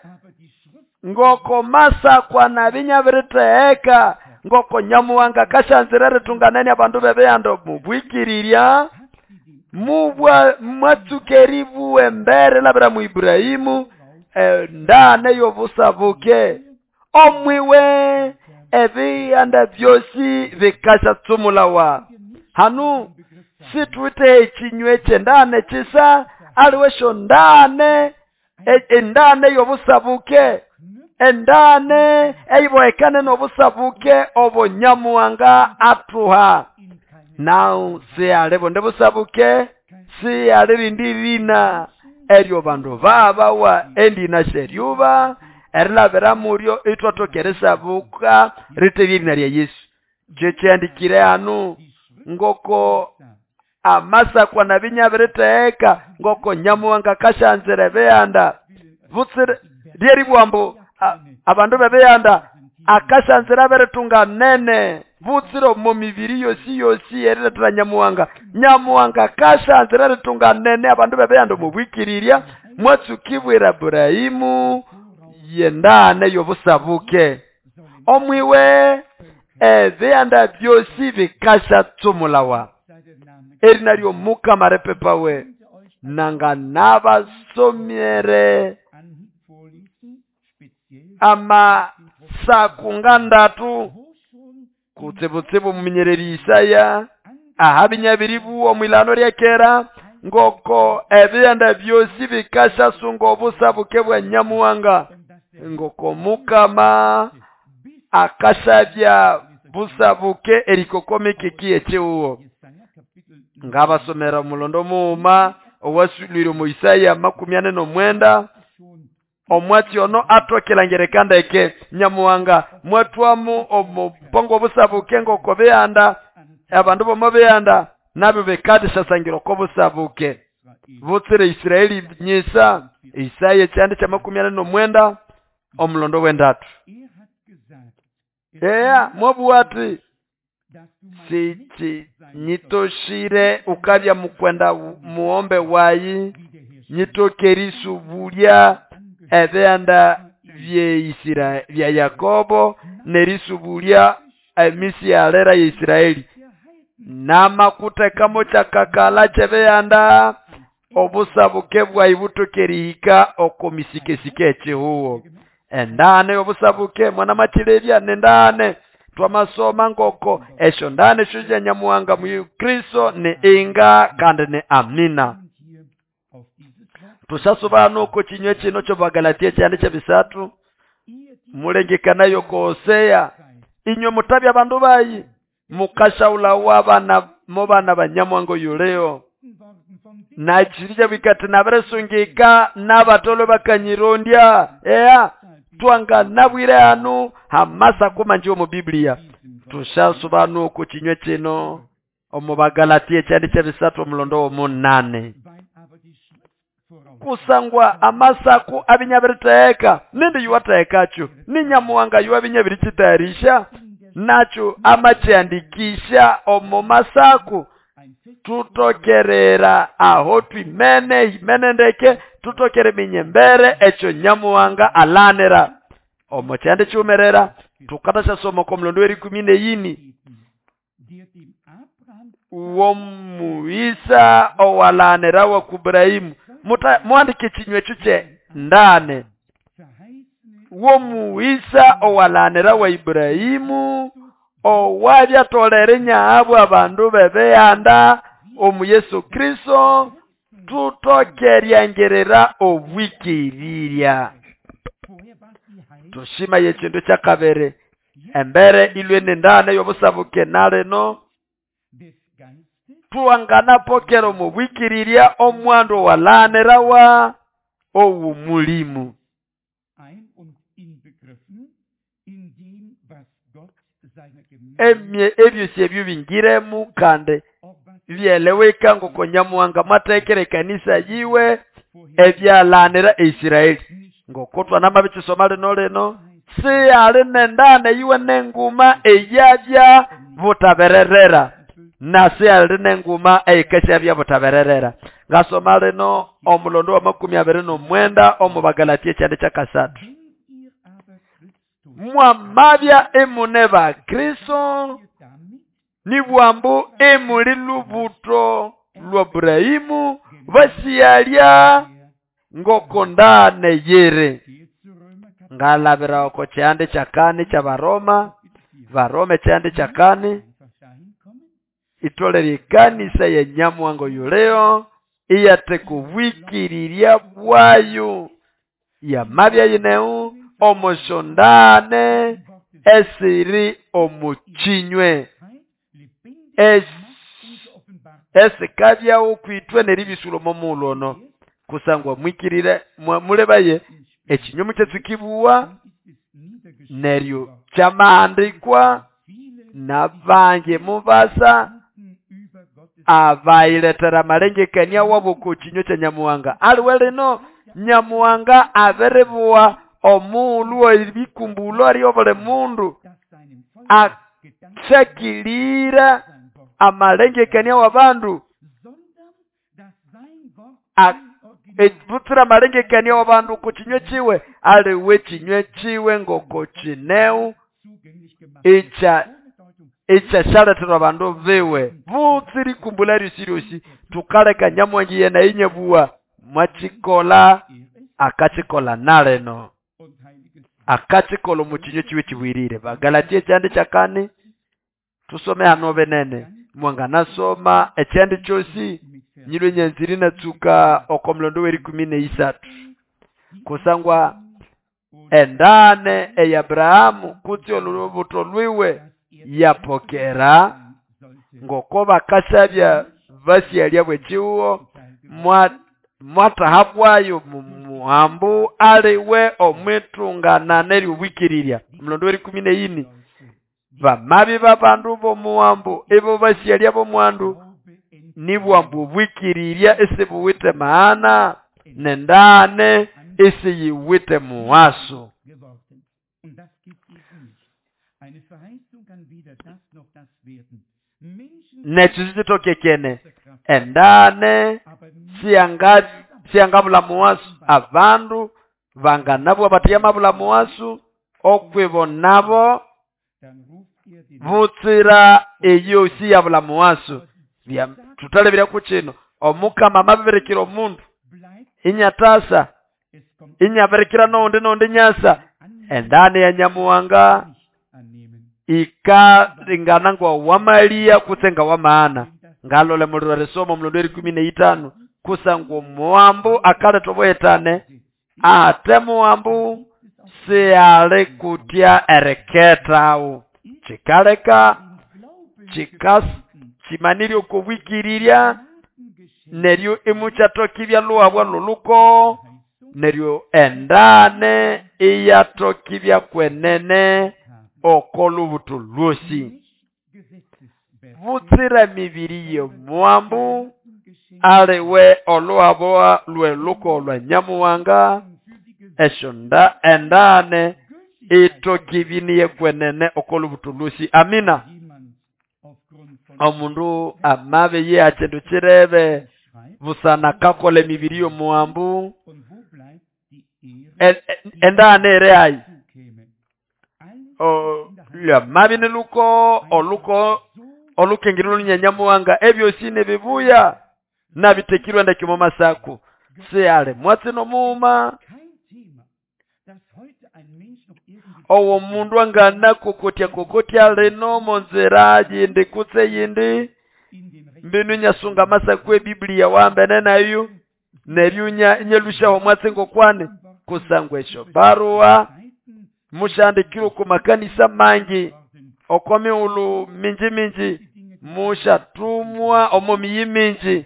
S1: ngoko masa kwa nabinyabiriteeka ngoko Nyamuhanga kashanzire ritunganene abandu bebeyando mubwikirirya mubwa mwatsukeribu embere labira mu Ibrahimu endane yobusabuke omwiwe ebiyanda byosi bikashatsumulawa. Hanu situte ekinywe kyendane kisa aliwe shondane endane yobusabuke endane eiboekane nobusabuke obo Nyamuhanga atuha. Nao si alibo ndebusabuke si alirindi rina eryo bandu babawa endina sheryuba erilabira muryo itwatokeresabuka ritebye lya Yesu. Kyekyandikire hanu ngoko amasakwa nabinyabiriteeka ngoko Nyamuhanga kashanzire beyanda butsire lyeribwambu abandu bebeyanda akashanzira beretunga nene butsire mu mibiri yosi yosi eriretera Nyamuhanga. Nyamuhanga kashanzira ritunga nene abandu bebeyanda mubwikirirya mwatsukibwira Ibrahimu yendane yobusabuke omwiwe ebiyanda byosi bikashatsumulawa erina ly'Omukama repepawe nanga nabasomere amasaku ngandatu Kutsibutsibu omuminyereri Isaya ahabinyabiribuwa omwilano lya kera ngoko ebighanda byosi bikashasunga obusabuke bwa Nyamuhanga, ngoko Mukama akashabya busabuke erikokomikiki ekihugo. Ngabasomera omulondo mughuma owasulwire omu Isaya makumi ane n'omwenda omwatsi ono atokilangirika ndeke. Nyamuhanga mwatwamu omupongo obusabuke ngoko bihanda abandu bomo bihanda nabyo bikadishasangira oko busabuke butsire Israeli nyisa. Isaya ekyanda kya makumi ane n'omwenda omulondo w'endatu. Eya mwabuwa ati sichi nyitoshire ukabya mukwenda muombe wayi nyitokerisubulia ebihanda bye bya Yakobo nerisubulia emisi yalera ya Israeli namakutekamo kyakakala kyebihanda obusabuke bwayi butokerihika oko misikesike ekihugo. Endane obusabuke mwana machirebya nendane twamasoma ngoko esyo ndane esyo sya Nyamuhanga mu Kristo ni inga kandi ni amina. Tushasubana uko kinywe kino kyo Bagalatia kyandi kyebisatu mulengekanayo ko Hosea inywe mutabya bandu bayi mukashaula wabana mobana banyamwango yuleo nachirija bikati naberesungika nabatolo bakanyirondya ea twanga nabwire anu hamasa kumanjiwe mu Biblia. Tushasubana uko kinywe kino omu Bagalatia kyandi kyebisatu omulondo omunane kusangwa amasaku abinyabiriteeka nindi yuwateekacho ni Nyamuhanga yuwabinyabirikitayarisha nacho amakyandikisha omu masaku tutokerera aho twimene imene ndeke tutokere minyembere ekyo Nyamuhanga alanira omu kyandi kyumerera. Tukatasha ko mulondo w'erikumi n'eyini uwomuisa owalanira wa Ibrahimu muandike kinywe kye ndane womuisa owalanira wa Ibrahimu owabyatolere nyaabwe abandu bebehanda omu Yesu Kristo tutokeryangerera obwikirirya. Tushima yekindu kyakabere embere ilwe nendane yobusabuke naleno tuwanganapokera omu bwikirirya omwandu walanirawa owumulimu. Emye ebyosi ebyo bingiremu kandi byeleweka ngoko Nyamuhanga mwatekere ekanisa yiwe ebyalanira Israeli ngoko twanamabikisoma lino lino siyali nendane yiwe nenguma eyabya butabererera na siyali nenguma eyikesya butabererera. Ngasoma lino omulondo wa makumi abiri n'omwenda omu Bagalatia ekyanda kyakasatu mwamabya emune ba Kristo nibwambu emuli lubuto lwa Ibrahimu basiyalya ngoko ndane yere. Ngalabira oko kyande kyakane kya Baroma Baroma ekyande kyakane itolere ekanisa ya Nyamuhanga yuleo iyateka obwikirirya bwayo yamabya yineu omushondane esiri omukinywe esikabyawo kwitwe neribisulo momulono kusangwa mwikirire mulebaye ekinyumu kyetsukibuwa neryo kyamahandikwa nabange mubasa abayiletera amalengekania wabo ku kinywe kya Nyamuhanga. Aliwe lino Nyamuhanga abiribuwa omuulu ebikumbulo ari obuli mundu akyakilira amalengekania w'abandu butsira amalengekania w'abandu ku kinywe kiwe aliwe kinywe kiwe ngoko kineu ekya ekyashaletherwa abandu biwe butsira ikumbula ryosi ryosi tukaleka Nyamuhanga yena inyebuwa mwakikola akakikola naleno akakikola omu kinywe kiwe kibwirire. Bagalatia ekyanda kyakane Tusome hano benene mwanganasoma ekyandi kyosi nyilwe nyanziri natsuka oko mulondo w'erikumi n'eisathu kusangwa endane eya Abrahamu kutse olubuto lwiwe yapokera ngoko bakasabya basyalya bw'ekihuho mwatahabwayo mumuhambu aliwe omwitungana n'eryobwikirirya. Omulondo w'erikumi n'eini bamabi babandu b'omuhambu ibo basyalya b'omwandu nibwambu obwikirirya esibuwite maana nendane esiyiwite muwaso. Nekyo sikitokekene endane siyangabula muwaso abandu banganabwa batiyamabula muwaso okwibo nabo butsira eyo siyabula muwaso. Tutalebera ku kino omukama amabirikira omundu inyatasa inyabirikira noundi noundi nyasa endane ya Nyamuhanga ikalingana ngwa wamalia kutse nga wamaana. Ngalole muliro risomo mulondo erikumi n'eitano kusangwa omuwambu akaletha obuhetane ate muwambu siyali kutya eriketawo kikaleka kimanirye okobwikirirya neryo imukyatokibya lhuhabwa lholuko neryo endane iyatokibya kwenene oko lubuto lwosi. Butsira mibiri y'omuwambu aliwe olhuhabwa lw'eluko lwa Nyamuhanga esyonda endane itokibiniye kwenene oko lubuto lwosi. Amina. Omundu amabe ye akindu kirebe busana kakola emibiri y'omuwambu endane ere ayi lwamabi niluko oluko olukengiro lunyanyamuhanga ebyosi nebibuya nabitekirwe ndeke mu masaku siyale mwatsi nomuuma owo mundu angana kokotya kokotya lino monzira yindi kutse yindi mbinu nyasunga masaku ebiblia wambene nayo neryo nyelushaho mwatsi ngokwane kusangwa esyo barua mushandikirwe ku makanisa mangi oko mighulhu minji minji mushatumwa omo miyi minji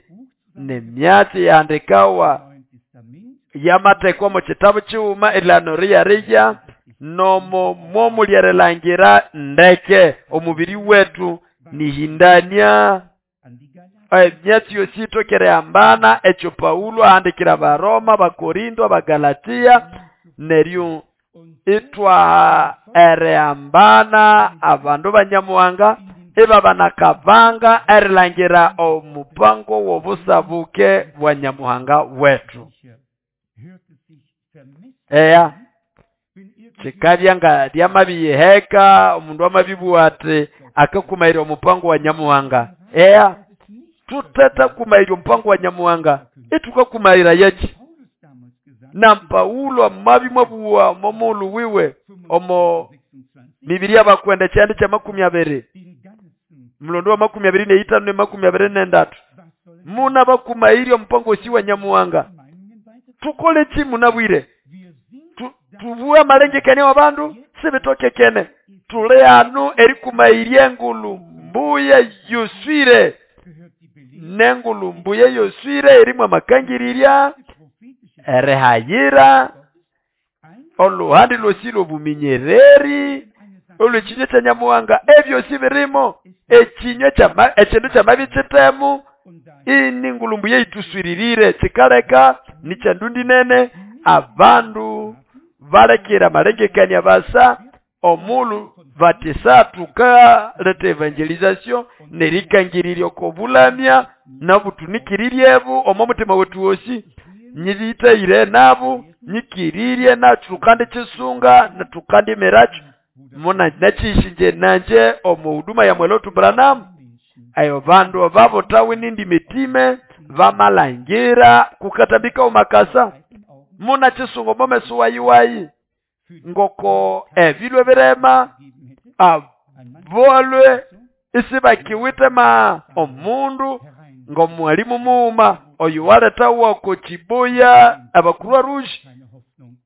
S1: nemyatsi yahandikawa yamathekwa omo kitabu kighuma erilano riyarija nomo mwomulyerilangira ndeke omubiri wetu nihindania emyatsi yosi itokere hambana ekyo Paulo ahandikira Abaroma, Abakorinto, Abagalatia neryo itwa erihambana abandu banyamuhanga ibabanakabanga erilangira omupango w'obusabuke bwa Nyamuhanga wetu. Eya kikabya nga lyamabiyiheka omundu amabibugha ati akakumairya omupango wa Nyamuhanga. Eya tutetakumairya omupango wa Nyamuhanga itukakumaira yaki. Na Paulo amabimwabugha omo wiwe omo mibiri y'abakwenda ekyandi kya makumi abiri mulondo wa makumi abiri n'eitano ne makumi abiri n'endatu muna bakumairya omupango osi wa Nyamuhanga. Tukole ki munabwire tubuwe amalengekania w'abandu sibitokekene tuli hanu erikumairya engulu mbuya yoswire nengulu mbuya yoswire erimu amakangirirya erihayira oluhandi lwosi lw'obuminyereri olw'ekinywa kya Nyamuhanga ebyosi birimo ekinywa ekindu kyamabi kitemu ini ngulu mbuya yituswiririre kikaleka nikyandundi nene abandu balekera amalengekania basa omulu batisa tukaleta evangelization nerikangirirya okobulamya nabutunikirire omo mutima wetu wosi nyiritaire nabo nyikirirye natukandi kisunga natukandi miracho muna nachishinje nanje omu huduma ya Mwelotu Branham ayo bandu babotawe nindi mitime bamalangira kukatambika omakasa muna chisungo momeso wayiwayi ngoko ebilwe birema abolwe Isibakiwite ma omundu ng'omwalimu muuma oyo waletawa ko Chibuya abakurwa Rouge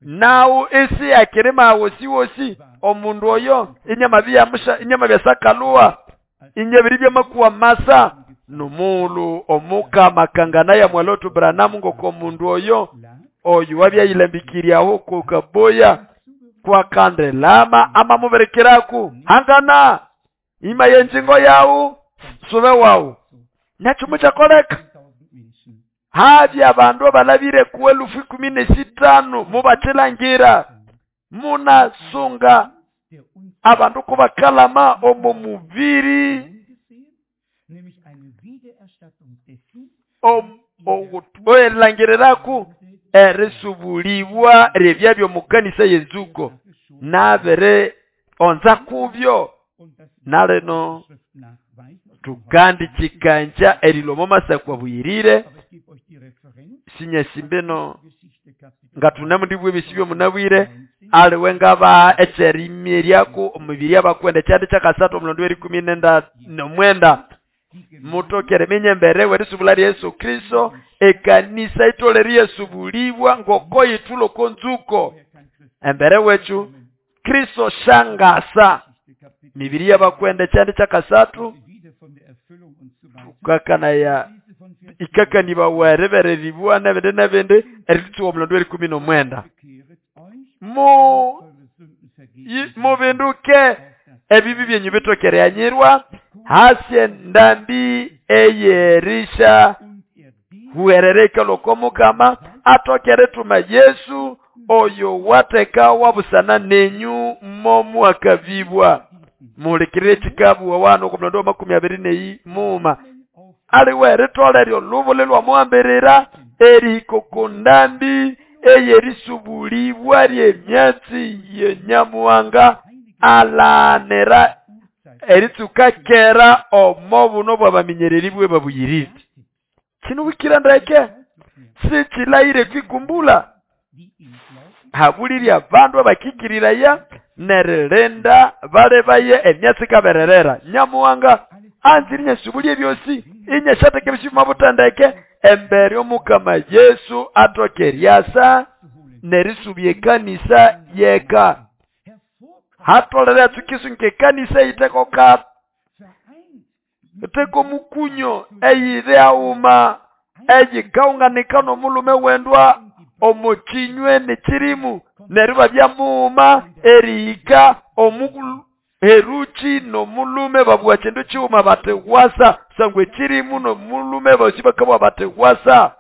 S1: nawu isi akirima wosi wosi omundu oyo inyama byamusha inyama byasakalua inyabiri byamakuwa masa nomulu omukama kangana ya mwalotu Branham ngoko mundu oyo oyo wabyayilambikiryaho ko Kaboya kwa kandelama amamuberekeraku hangana ima yenjingo yawu sube wawu nachumu chakoleka habya abandu abalabire ku elufu ikumi nesitano mubachilangira munasunga abandu kubakalama omo mubiri oelangiriraku erisubulibwa eryebya byomukanisa yenzuko nabere onza kubyo naleno tukandi chikanja erilomo masakwa buyirire sinyesimbeno ngatunemu ndibwe bisibyo munabwire aliwe ngaba echerimiryako omubiri abakwenda kyandi kyakasatu omulondo w'erikumi nenda nomwenda mutokere minyembere werisubula Yesu Kristo ekanisa itolere yesubulibwa ngoko yitulo konzuko embere wechu Kristo shangasa mibiri y'abakwenda kyandi kyakasatu tukakana ya ikakaniba werebereribwa nebende nebende eritsuwa omulondo w'erikumi nomwenda mu mubinduke ebibi byenyu bitokereanyirwa hasi ndambi eyerisha huherereka lokomukama atokere tuma Yesu oyo wateka wabusana nenyu momu akavibwa mulikirire chikabu wano ku mulondo wa makumi abiri nei muma aliwe ritolere lubule lwa muambirira eriko ndambi eyerisubulibwa lyemyatsi yenyamuwanga alanera eritsuka kera omo buno bwabaminyereri bwe babuyirire kino ndeke sichilaire kwikumbula habulirya abandu abakikiriraya nererenda balebaye emyatsi kabererera nyamuwanga anziri nyesubulye byosi inyeshateke bishima butandeke embere omukama Yesu atokeryasa nerisubye kanisa yeka hatolera tukisunke kanisa iteko ka iteko mukunyo eyire auma eyikaunganika nomulume wendwa omuchinywe nechirimu neriba bya muuma erihika omukulu heruchi nomulume babwa chendo chiuma bategwasa sangwe chirimu nomulume bosibakabwa bategwasa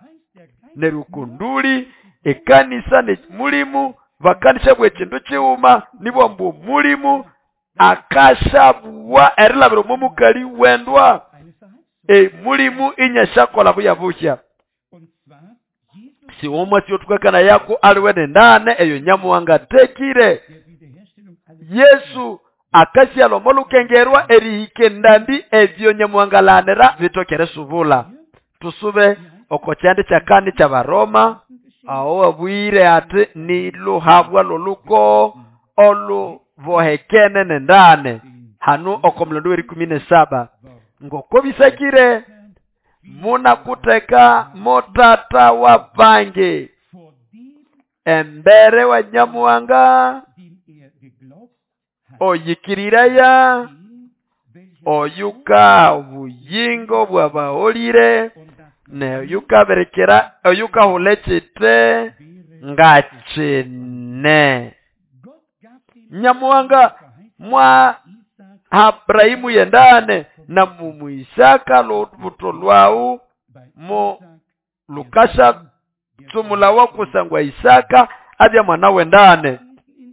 S1: nerukunduli ekanisa ne mulimu bakanisha bwe chindu chiuma nibwo mbu mulimu akashabwa erilabiro mumukali wendwa e mulimu inyashakola buya bushya siwomwa siyotukakana yako aliwene ndane eyo nyamuwanga tekire Yesu akasialo molukengerwa erihike ndambi ebyo nyamuwangalanera bitokere subula tusube okochande chakani cha Baroma awo abwire ati ni luhabwa loluko olubohekene nendane hanu okomulondo w'erikumi nesaba ngoko bisakire munakuteka motata wa bange embere wa nyamuwanga oyikiriraya oyuka obuyingo bwabaolire ne oyuka berekera oyuka hulechite ngachine nyamuwanga mwa Abrahimu yendane na mumu Isaka lubuto lwawu mu lukasha tsumula wakusangwa Isaka abya mwana wendane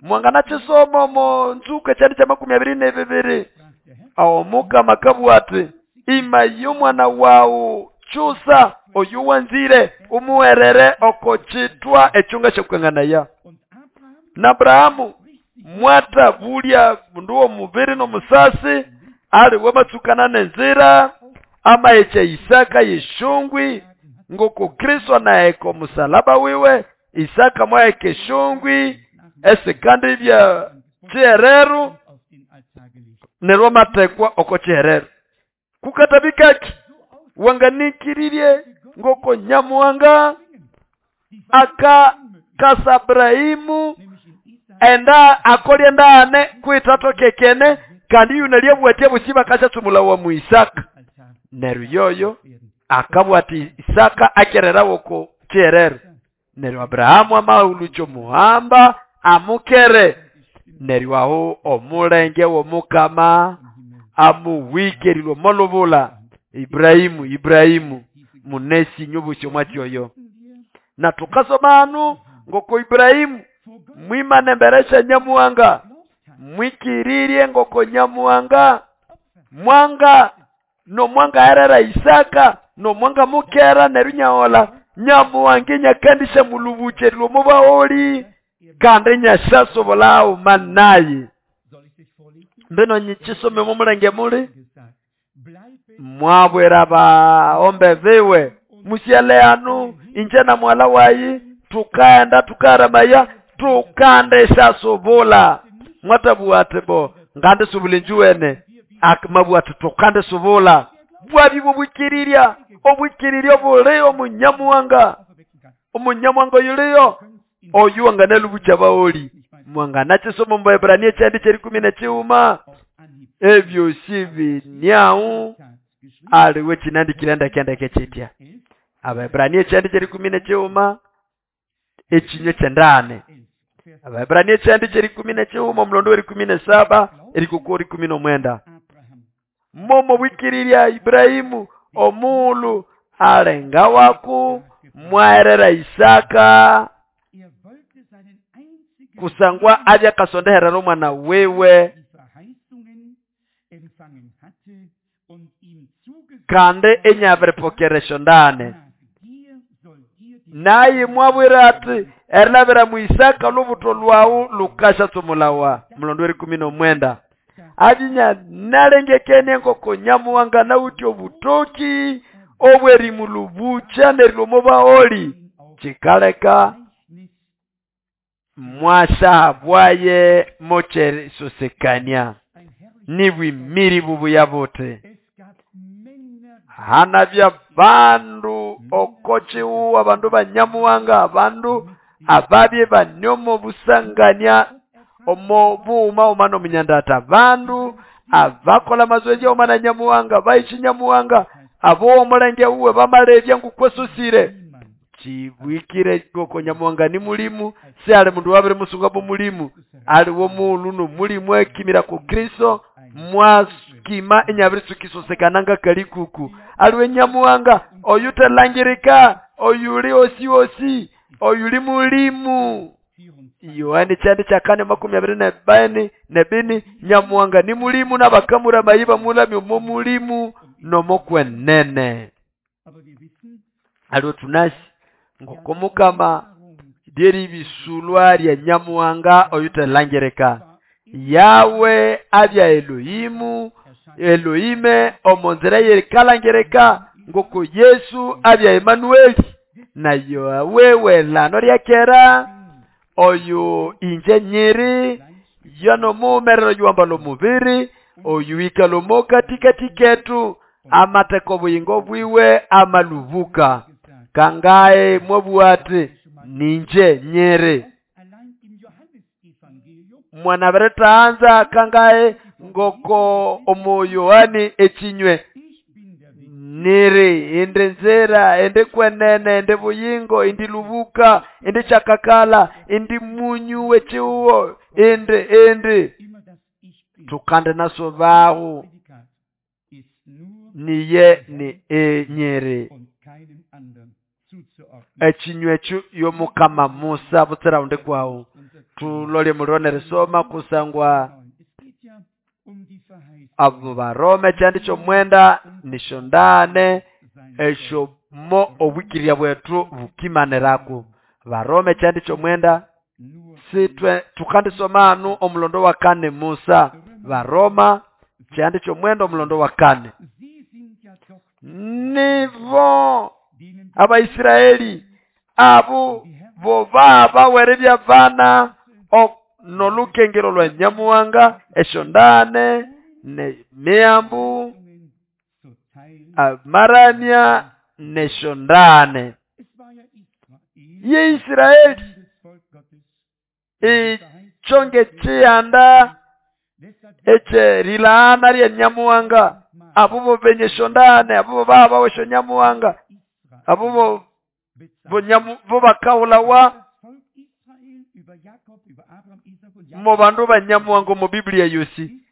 S1: mwangana chisomo mo nzuka chandi cha makumi abiri nebibiri awo mukama kabwati ima y'omwana wawu chusa oyu wanzire umuwerere oko chitwa echunga kyokwenganaya na Abrahamu mwata bulya mundu mubiri nomusasi ali wamatsukana nenzira amaeche Isaka yeshungwi ngoko Kristo naeko musalaba wiwe Isaka mwaeke shungwi esikandi bya chihereru nerwo matekwa oko chihereru. Kukatabikaki wanganikirirye ngoko Nyamuhanga aka kasa Abrahimu enda akolye ndaane kwitatokekene kandi yuna lyabwatia bosi bakashatsumula wa mu Isaka. Neryo yoyo akabwati Isaka akerera woko kyerero. Neryo Abrahamu amahulucho muhamba amukere. Neryo aho omulenge w'omukama amuwikerilwe molubula Ibrahimu Ibrahimu munesi nyobusyo mwatyoyo. Na tukasoma anu ngoko Ibrahimu mwimane mberesha Nyamuhanga mwikiririe ngoko Nyamuhanga mwanga no mwanga herera Isaka no mwanga mukera neryo nyaola Nyamuhanga nyakandisha mulubuche lwomubaoli kandi nyashasobolao manaye. Mbeno nyichisome mumulenge muli mwabwera baombe viwe musiale anu inje na mwala wayi tukaenda tukaramaya tukandesha sobola mwatabuate bo ngande subule njuwene akmabuate tukande sobola bwabi bubukiriria obukiriria bule omunyamuhanga omunyamuhanga yuliyo oyu wanganelu baoli mwangana chisomo mba Ebrania chandi cheri kumi na chiuma ebyo sibi nyau aliwe chinandikira ndakenda chitya Abaebrania chandi cheri kumi na chiuma echinyo chendane Abaebrania chandi cheri kumi na chiuma mlondo weri kumi na saba erikukori kumi na mwenda momo wikiriria Ibrahimu omulu alenga waku mwaerera Isaka kusangwa aja kasondeherera omwana wewe kande enyaverepokeresho ndane naye mwabwira ati erilabira mu Isaka lubuto lwawu lukashatsumulawa mlondo weri kumi na mwenda ajinya nalengekene ngoko Nyamuhanga nauti obutoki obweri mulubucha nerilomo baoli chikaleka mwasha bwaye mochere sosekania nibwimiri bubuya bote hana bya bandu okochiu abandu banyamuhanga abandu ababye banyomo busanganya omo buuma omano minyandata bandu abakola mazoezi omana Nyamuhanga baichi Nyamuhanga abo omulenge uwe bamalebya ngukwesusire chibwikire goko Nyamuhanga ni mulimu si ali mundu wabere musunga bo mulimu ali wo mulu no mulimu ekimira ku Kristo mwakima enyabirisukisosekananga kalikuku aliwe Nyamuhanga oyutelangirika oyuli osi osi oyuli mulimu Yohane chandi chakane makumi abiri na bani nebini Nyamuhanga ni mulimu n'abakamura mayiba mulami omo mulimu nomokwenene aliwe tunasi ngoko mukama dyeri bisulwa lya Nyamuhanga oyutelangirika Yawe abya Elohimu Elohime omonzera yerikalangirika ngoko Yesu abya Emanueli na yowewe lano lyakera oyu inje nyiri yano mumerero yuambalo mubiri oyu ikalomo katikati ketu amateko buyingo bwiwe amalubuka kangae mwabuate ninje nyere mwana beretaanza kangae ngoko omo Yohani echinywe nere ende nzera ende kwenene ende buyingo indi lubuka ende chakakala indi munyu wechiuo ende ende tukande naso bahu niye ni e nyere echinywe chu yomukama Musa butsera unde kwawo tulole mulone resoma kusangwa abo barome chandi chomwenda nishondane esho mo obwikiria bwetu bukimaneraku barome chandi chomwenda sitwe tukandisoma anu omulondo wa kane Musa baroma chandi chomwenda omulondo wa kane nivo Abaisraeli abo boba bawerebya bana nolukengero lwa Nyamuhanga eshondane ne miambu Amaramya neshondane ye Israeli ichonge chiyanda eche rilaana rye Nyamuhanga abubo benye shondane abubo baba wesho Nyamuhanga abubo bo bakahulawa mo bandu ba Nyamuhanga mu Biblia yosi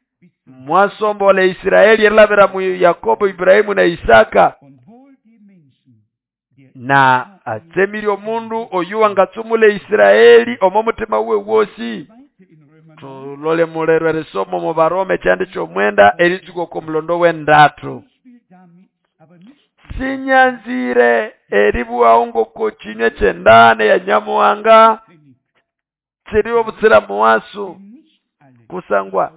S1: mwasombola Israeli erilabira mu Yakobo, Ibrahimu na Isaka na atsemire omundu oyu wangatsumula Israeli omo mutima we wosi. Tulole mulero erisomo mu Baroma ekyandi ky'omwenda eritsuka oko mulondo w'endatu. Sinyanzire eribwaho ngoko kinywe kyendane ya Nyamuhanga kiri obutsira muwasu kusangwa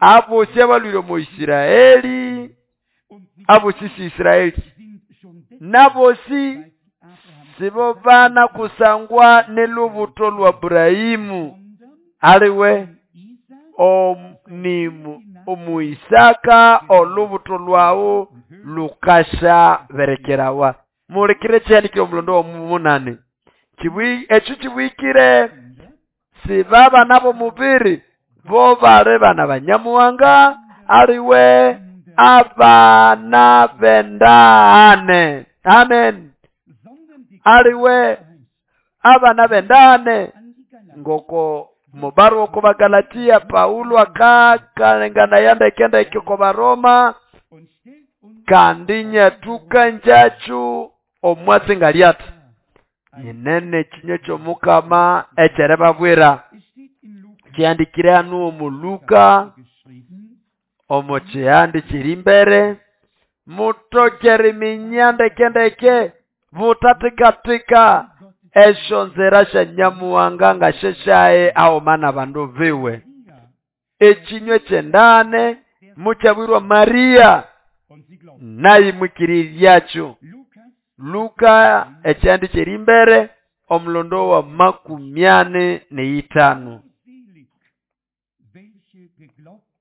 S1: abosi abalwire mu Israeli abosi si Israeli nabosi sibo bana kusangwa nelubuto lwa Ibrahimu aliwe omnimu omuisaka olubuto lwawo lukasha berekerawa. Mulekere kyandikire omulondo omunane kibwi ekyo kibwikire si baba nabo mubiri bo bali bana banyamuhanga aliwe abana bendane. Amen. Aliwe abana bendane ngoko mubarua ko Bagalatia Paulo akakalengana yanda ikenda ikyo Baroma kandi nyatuka njachu omwatsi ngaliata nyinene kinywe ky'omukama ekyerebabwira kyandikire hanu omu Luka omu kyihandi kiri mbere mutokere minyandekendeke butatika-tika esyo nzira sya Nyamuhanga ngasheshaye aomana bandu biwe. Ekinywe kyendane mukyabwirwa Maria nayi mwikiriryakyo. Luka ekyandi kiri mbere omulondo wa makumi ane neitano.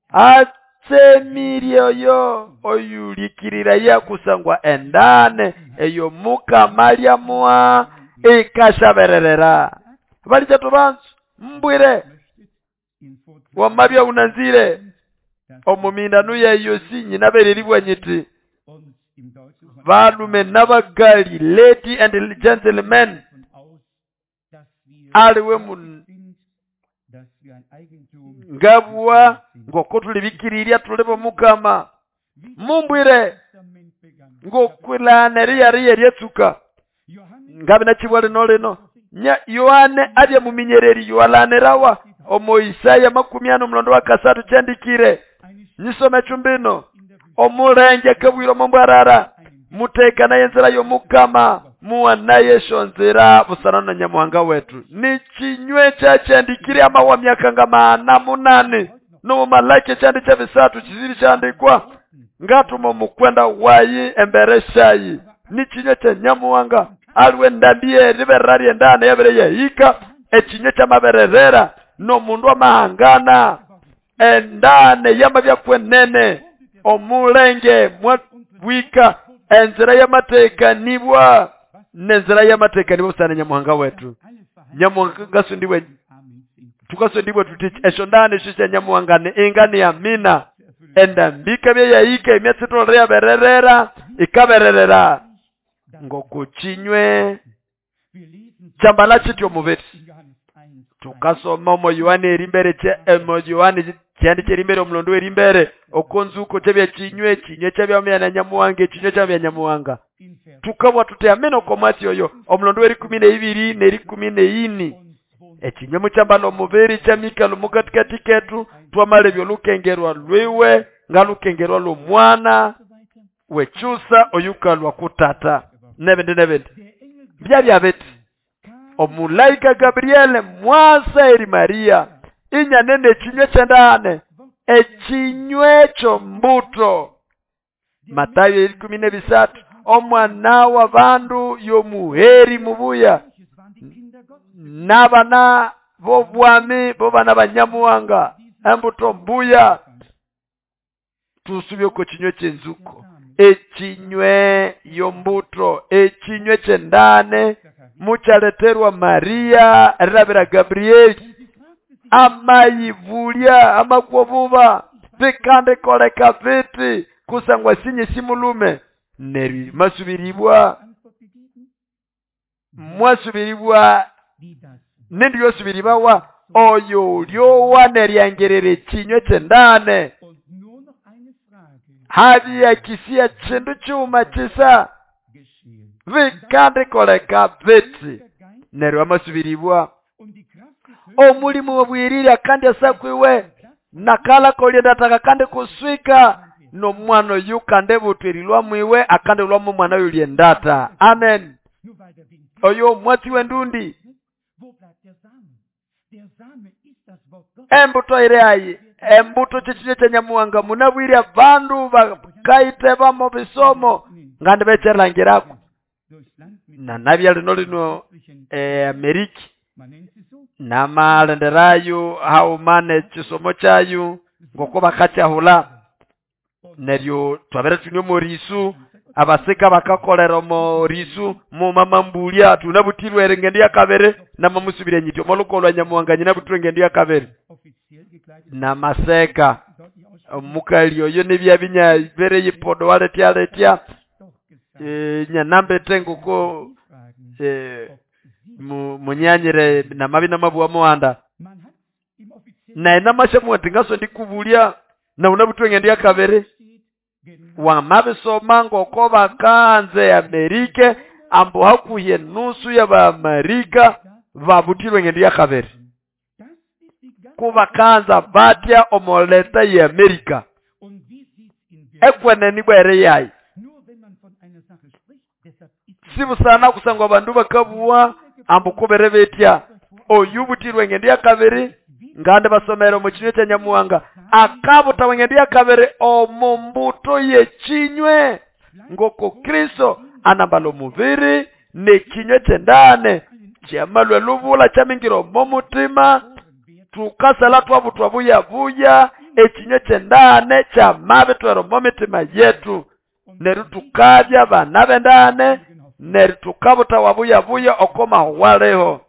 S1: Atsemirye oyo oyulikirira yakusangwa endane eyo Mukama lyamua ikashabererera. Balija tubanzu mbwire wamabya unanzire omumindano yeyo si nyinabereribwa nyiti balume n'abagali, lady and gentlemen, aliwe mun ngabwa ngoko tulibikiriria tulibo Mukama mumbwire ngokwilana eriyari eryetsuka ngabe nakibwa lino lino nya Yohane abye muminyereri yowalanirawa omo Isaya makumi ano mulondo wa kasatu kyandikire nyisome chumbino omulenge kabwiro mombwarara muteka naye nzira y'Omukama muwa esyo nzira busana na Nyamuhanga wetu. Ni kinywe kyakyandikire amawa myaka nga maana munane no Malaki kyandi kya bisatu kiziri kyandikwa ngatuma mukwenda wayi embere shayi. Ni kinywe kya Nyamuhanga aliwe ndambiye riberera ryendana yabere yahika ekinywe kyamabererera no mundu amahangana endane yamabya kwenene omulenge mwabwika enzira y'amateka nibwa nenzira y'amateka nibwa busana Nyamuhanga wetu. Nyamuhanga sundiwe tukasondibwa tuti esyo ndane shisha Nyamuhanga ne ingani ya mina endambika bye yahika emyatsi yabererera ikabererera ngokuchinywe chambala chityo mubiri. Tukasoma omo Yohane erimbere kye emo Yohane kyandi kyerimbere omulondo erimbere okonzuko kyebya kinywe kinywe kyabya na Nyamuhanga ekinywe kyabya Nyamuhanga tukabwa tuti ameno komwatsi oyo omulondo werikumi neibiri nerikumi neini ekinywe mukyambala omubiri kyamikalo mukatikati ketu twamala ebyo lwiwe nga lukengerwa lw'omwana wechusa oyukalwa kutata nebindi nebindi byabya biti omulaika Gabriele mwasa eri Maria inyanene ekinywe kyendane ekinywe ky'ombuto. Matayo ikumi nebisatu omwana wa bandu yomuheri mubuya n'abana b'obwami b'obana banyamuhanga embuto mbuya tusubye ko kinywe ky'enzuko Echinywe yombuto echinywe kyendane mukyaleterwa Maria erilabira Gabrieli amayivulya amakwobuba bikandikoleka biti kusangwa sinye simulume neryo masubiribwa mwasubiribwa nindi yosubiribawa oyo ulyowa neryangerera echinywe kyendane habya kisia chindu chuma chisa bikandikoleka biti neryo amasubiribwa omulimu wabwirira kandi asakwiwe nakala koliendataka kandi kuswika nomwana oyu kandi butwirilwa mwiwe akandi lwa mwana oyu liendata. Amen. Oyo mwatsi wendundi embuto ire ayi embuto chichiche kya munabwire abandu bakaite bamo bisomo ngandi becherangirako na nabya lino lino eh, Ameriki namalenderayo haumane chisomo chayo ngoko bakakyahula neryo twabere tunywe morisu abasika bakakolera morisu mu mama mbulya tunabutirwe engendo ya kabere namamusubire nyityo molukolwa Nyamuhanga nyinabutirwe engendo ya kabere namaseka omukali oyo nebya binya bere yipodo waletya letya e, nyanambete ngoko e, munyanyire namabi namabuwa muhanda naye namashamu tingaso ndikubulya na unabutwe engendo ya kabere wamabisoma ngoko bakanze Amerika ambo hakuye nusu ya Baamerika babutirwe engendo ya kabere kubakanza batya omoleta ya Amerika ekweneni bwere yayi sibusana kusangwa bandu bakabuwa ambo kubere betya oyu butirwe engendo ya kabere ngande basomera omu kinywe kya Nyamuhanga akabuta engendo ya kabere omu mbuto yekinywe ngoko Kristo anambala omubiri nekinywe kyendane kyamalwe lubula kyamingira omu mutima tukasala twabutwa buya buya ekinywe kyendane kyamabitwera omu mitima yetu neryo tukabya bana bendane neryo tukabuta wabuya buya okomaho waleho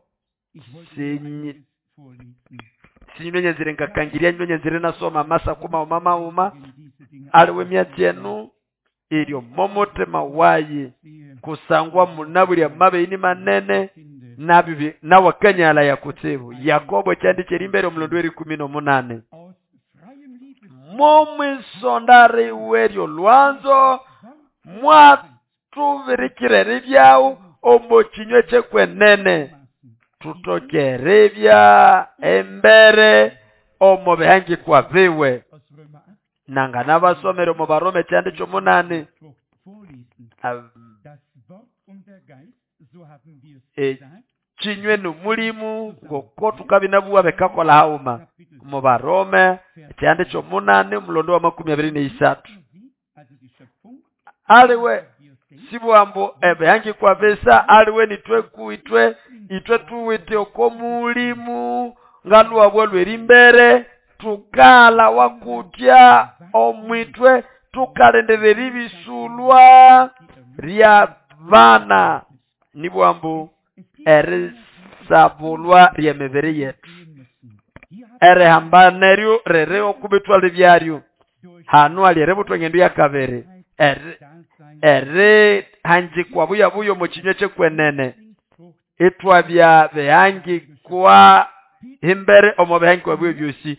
S1: sinyi sinyonyezire ngakangiria nyonyezire nasoma masa kuma mama uma aliwe myatsi iryo momotima wayi kusangwa munabulya mabeini manene nabibi nawakanyala yakutsibu Yakobo kyandikira imbere omulondo w'erikumi n'omunane momwisondari weryo lwanzo mwatubirikire ribyawu omu kinywe kyekwenene tutokerebya embere omu bihangikwa biwe nanga nabasomere omu Barome kyandi ky'omunane ekinywe n'omulimu ngoko tukabinabuwa bekakola hauma omu Barome kyandi ky'omunane omulondo wa makumi abiri n'isatu aliwe sibwambo ebihangikwa bisa aliwe nitwe kuitwe itwe tuwite oko mulimu ngaluwabwe lwerimbere tukala wakutya omwitwe tukalenderera ibisulwa rya bana nibwambu erisabulwa ry'emibiri yetu erihambaneryo rere okubitwala ebyaryo hanu ali eributwa engendo ya kabere erihanjikwa buya buya omu kinywe kyekwenene itwabya bihangikwa imbere omu bihangikwa bwe byosi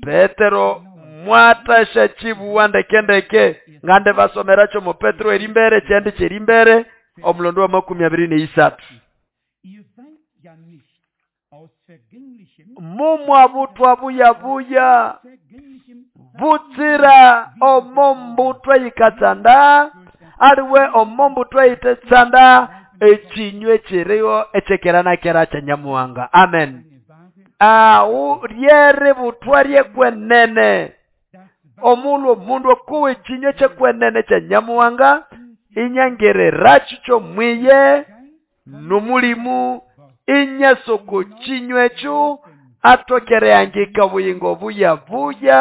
S1: Petero mwatasha chibuwa ndeke ndeke ngande basomeracho mu Petero erimbere kyandi kyerimbere omulondo wa makumi abiri n'isatu mumwabutwa buya buya butsira omombutwa yikatsanda aliwe omombutwa yitetsanda ekinywe kiriho ekyekerana kera kya Nyamuhanga. Amen. Awu ryere butwa ryekwenene omulhu omundu okuwa ekinywe kyekwenene kya Nyamuhanga inyangerera kikyo mwiye nomulimu inyasoko kinywe ekyo atokereyangika obuyingo buya buya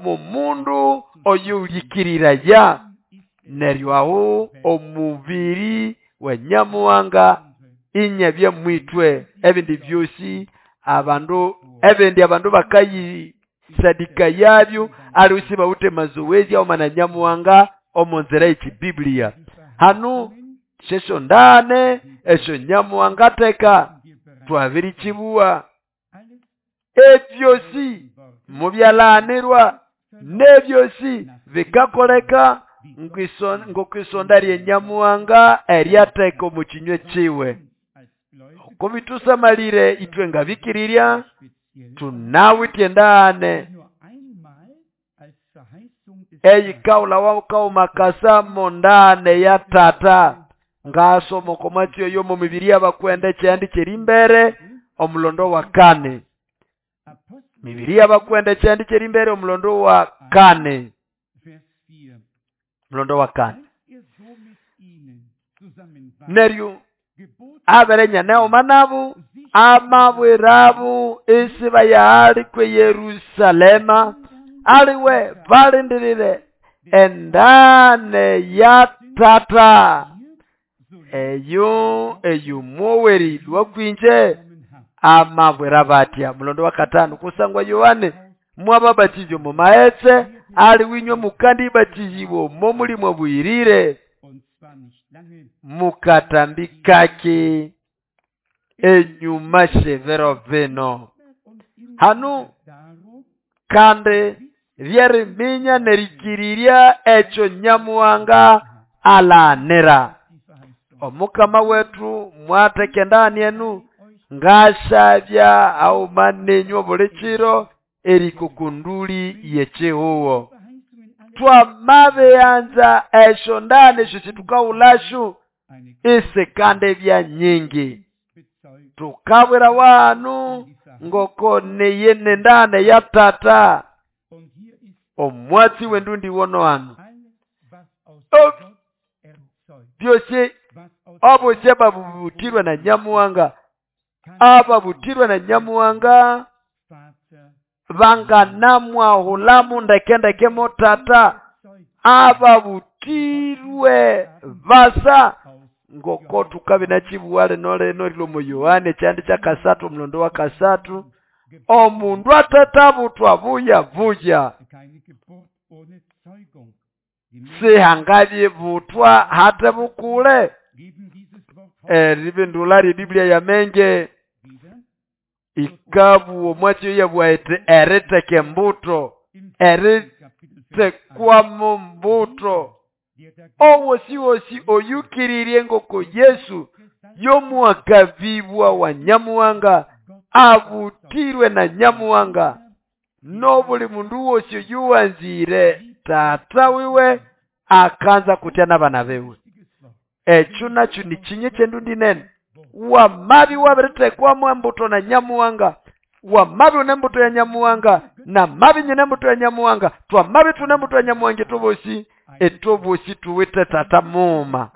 S1: mu mundu oyulikirira ya Neryo aho omubiri wa Nyamuhanga inyabya mwitwe. Ebindi byosi abandu ebindi abandu bakayisadika yabyo aliusi bawute mazoezi aoma na Nyamuhanga omu nzira y'echibiblia. Hanu shesho ndane esho Nyamuhanga teka twabirichibua ebyosi mubyalanirwa nebyosi bikakoleka ngokwisonda rye Nyamuhanga eryateka omu kinywe kiwe. Okubitusamalire itwe ngabikirirya tunawitye ndane eyikaula wakaumakasa mondane ya tata ngasoma okomwatsi yo mu mibiri y'abakwenda ekyandi kyerimbere omulondo wa kane. Mibiri y'abakwenda ekyandi kyerimbere omulondo wa kane. Mulondo wa kane. Neryo aberenya neoma nabo amabwirabu isiba yaali kwe Yerusalema aliwe balindirire endane ya tata eyo eyo moweri lwakwinje amabwira batya. Mulondo wa katano kusangwa Yohane mwababatizyo mu maetse ali winywe mukandi batizibwo momulimwa bwirire mukatambikaki enyuma shevero vino. Hanu kandi byeriminya nerikiriria echo Nyamuhanga alanira. Omukama wetu mwateke ndani enu ngashabya aumanenywa buli kiro erikukunduli yechihuwo. Twamabeanza esho ndani esho situkaulashu isekande bya nyingi. Tukabwera wanu ngoko neye nendane ya tata omwatsi wendundi wono hanu byose obose babutirwe na Nyamuhanga ababutirwe na Nyamuhanga banganamwahulamu ndekendeke mo tata ababutirwe basa ngoko tukabe nachibuwale nole nolilo Yohane kyandi kya kasatu mulondo wa kasatu omundu atatabutwa buya buya sihangabye butwa hate bukule. Eribindula ri Biblia ya menge ikabu omwatsi yabwaete eriteke mbuto eritekwa mu mbuto owosi wosi oyukiririe ngoko Yesu yomuakavibwa wa Nyamuhanga abutirwe na Nyamuhanga nobuli mundu wosi yuwanzire tata wiwe akanza kutya n'abana bewe. Ekyo nakyo ni kinye kyendundi nene wamabi wabiritekwamu embuto na Nyamuhanga wamabi unembuto ya Nyamuhanga na mabi nyine embuto ya Nyamuhanga twamabi tune embuto ya Nyamuhanga etobosi etobosi tuwite tata muma.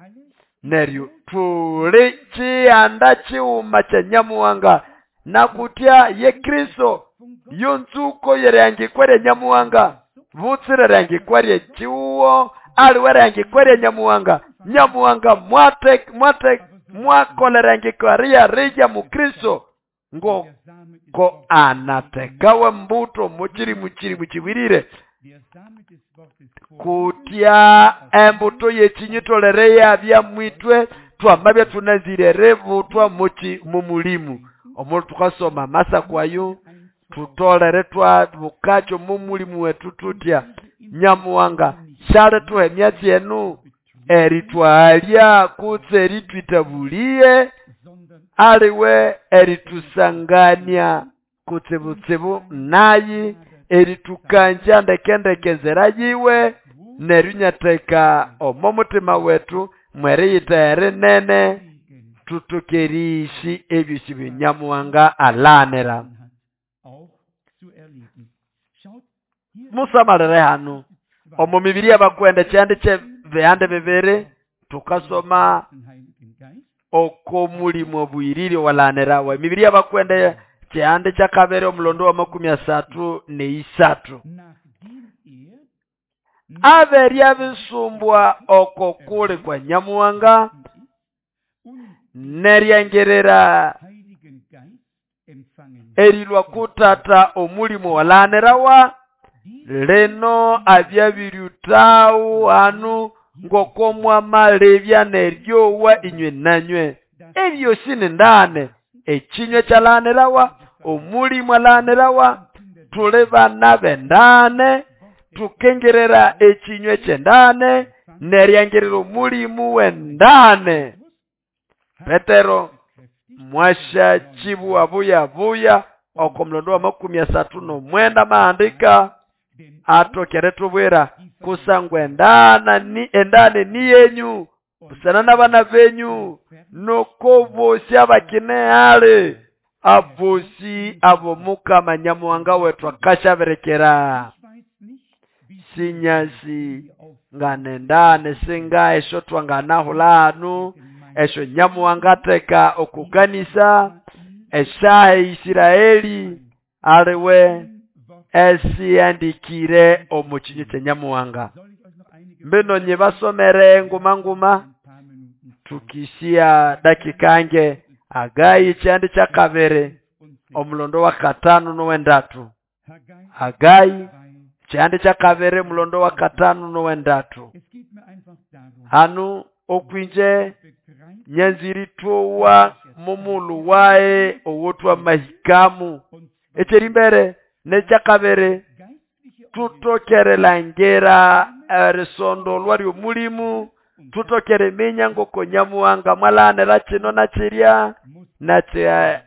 S1: Neryo tuli chiyanda chiuma cha Nyamuhanga nakutya ye Kristo yonzuko yeryangikwere Nyamuhanga butsire ryangikwere chiuwo aliwe ryangikwere Nyamuhanga. Nyamuhanga mwate mwate mwakolerangikwaria rija mu Kristo ngo ko anatekawe mbuto muchiri muchiri muchiwirire kutya embuto yechinyitolereya bya mwitwe twamabya tunazire revutwa muchi mumulimu omuntu tukasoma masa kwayo tutolere twa bukacho mumulimu wetu tutya Nyamuhanga shale tuhe myatsi enu eritwalya kutse eritwitabulie aliwe eritusangania kutsebutsibu nayi eritukanja ndekendeke nzera yiwe neryo omo mutima wetu mweriyita nene tutukerishi ebyosi bya alanera. Musamalire hanu omu mibiri y'abakwenda kyandi kye bihande bibiri tukasoma oko mulimo bwirire walanera wa mibiri y'abakwenda kyande kya kabere omulondo wa makumi asatu neisatu. Aberya bisumbwa oko kuli kwa Nyamuhanga neryangerera erilwa kutata omulimu walanirawa lino abyabiriutawu hanu ngoko mwamalebya neryowa inywe nanywe. Ebyosi ni ndane ekinywe kyalanirawa omulimu alanirawa tuli bana bendane tukengerera ekinywe kyendane neryangerera omulimu wendane. Petero mwasha chibuwa buya buya oko mulondo wa makumi asatu nomwenda maandika atokere tubwira kusangwa endana ni endane ni yenyu busana n'abana benyu noko bosi abakine hale abosi abo Mukama Nyamuhanga wetu akashaberekera. Sinyasi nganendane singa esho twanganahulanu esho Nyamuhanga teka okukanisa eshahe Isiraeli aliwe esiandikire omu kinyu kya Nyamuhanga. Mbino nyibasomere nguma nguma tukishia dakika nge Hagai kyandi kya kabiri omulondo wa katano nowendatu. Hagai kyandi kya kabiri omulondo wa katano nowendatu. Hanu okwinje nyanziri towa mumulu wae owotwa mahikamu ekyeri mbere nekyakabiri tutokerelangera erisondolwa ly'omulimu tutokere minya ngoko Nyamuhanga mwalanira kino nakirya nakya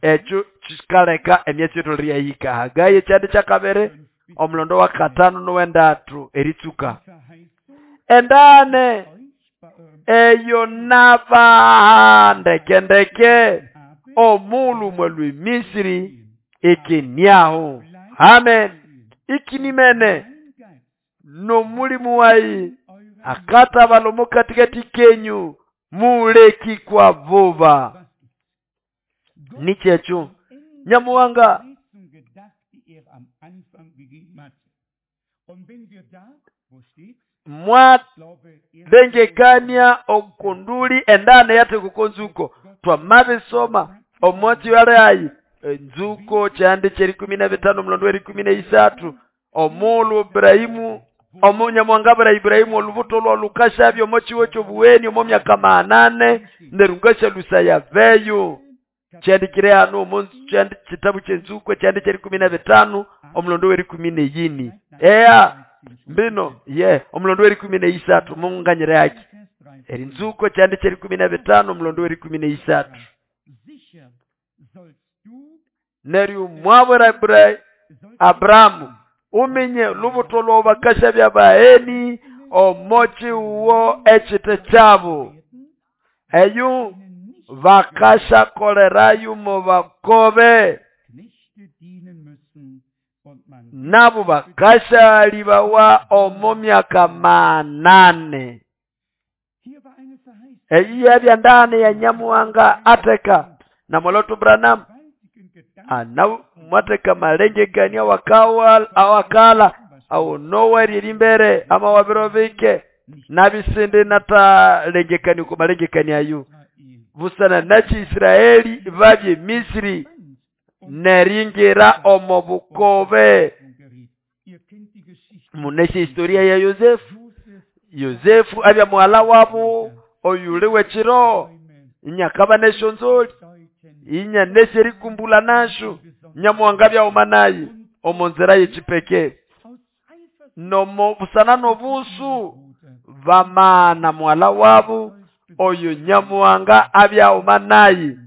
S1: ekyo kikaleka emyatsi yethu yahika. Hagai ekyandi kyakabiri omulondo wa katano nowendatu eritsuka endane eyo naba ndeke ndeke omulu mwalwe Misri ikiniaho. Amen. Ikinimene no mulimu wai akata balomo katikati kenyu muleki kwa vuba. Nichecho Nyamuhanga mwadengekania okunduli endane yate kukonzuko twamabisoma omwatsi wale ayi nzuko kyandi kyeri kumi na bitano mulondo weri kumi na isatu omulu Ibrahimu omunyamuhanga bura Ibrahimu olubuto lwa lukashabyo omochiwo kyobuweni omo myaka manane nerungasha lusaya veyo kyandikire hano omu kyandi kitabu kyenzuko kyandi kyeri kumi na bitano omulondo weri kumi na yini eya mbino ye omulondo weri kumi na isatu munganyire yaki eri nzuko kyandi kyeri kumi na bitano omulondo weri kumi na isatu neryu mwabura Abrahamu uminye lubuto lwa bakasha bya baeni omochi uwo ekite kyabo eyu bakasha kolerayu mu bakobe nabo bakasha libawa omo myaka manane. Eyi yabya ndane ya Nyamuhanga ateka na Moloto Branham ana mwateka malengekania wakawa awakala au noweri limbere ama wabirobike nabisinde nata lengekani ko malengekani ayu busana nachi Israeli babye Misri neringira omo bukobe. Muneshe historia ya Yosefu. Yosefu abya mwala wabo oyuliwe chiro inyakaba neshonzoli inya nesheri kumbula nashu Nyamuhanga bya omanayi omonzera yechipeke nomo busana nobusu vamana mwala wabo oyo Nyamuhanga abya omanayi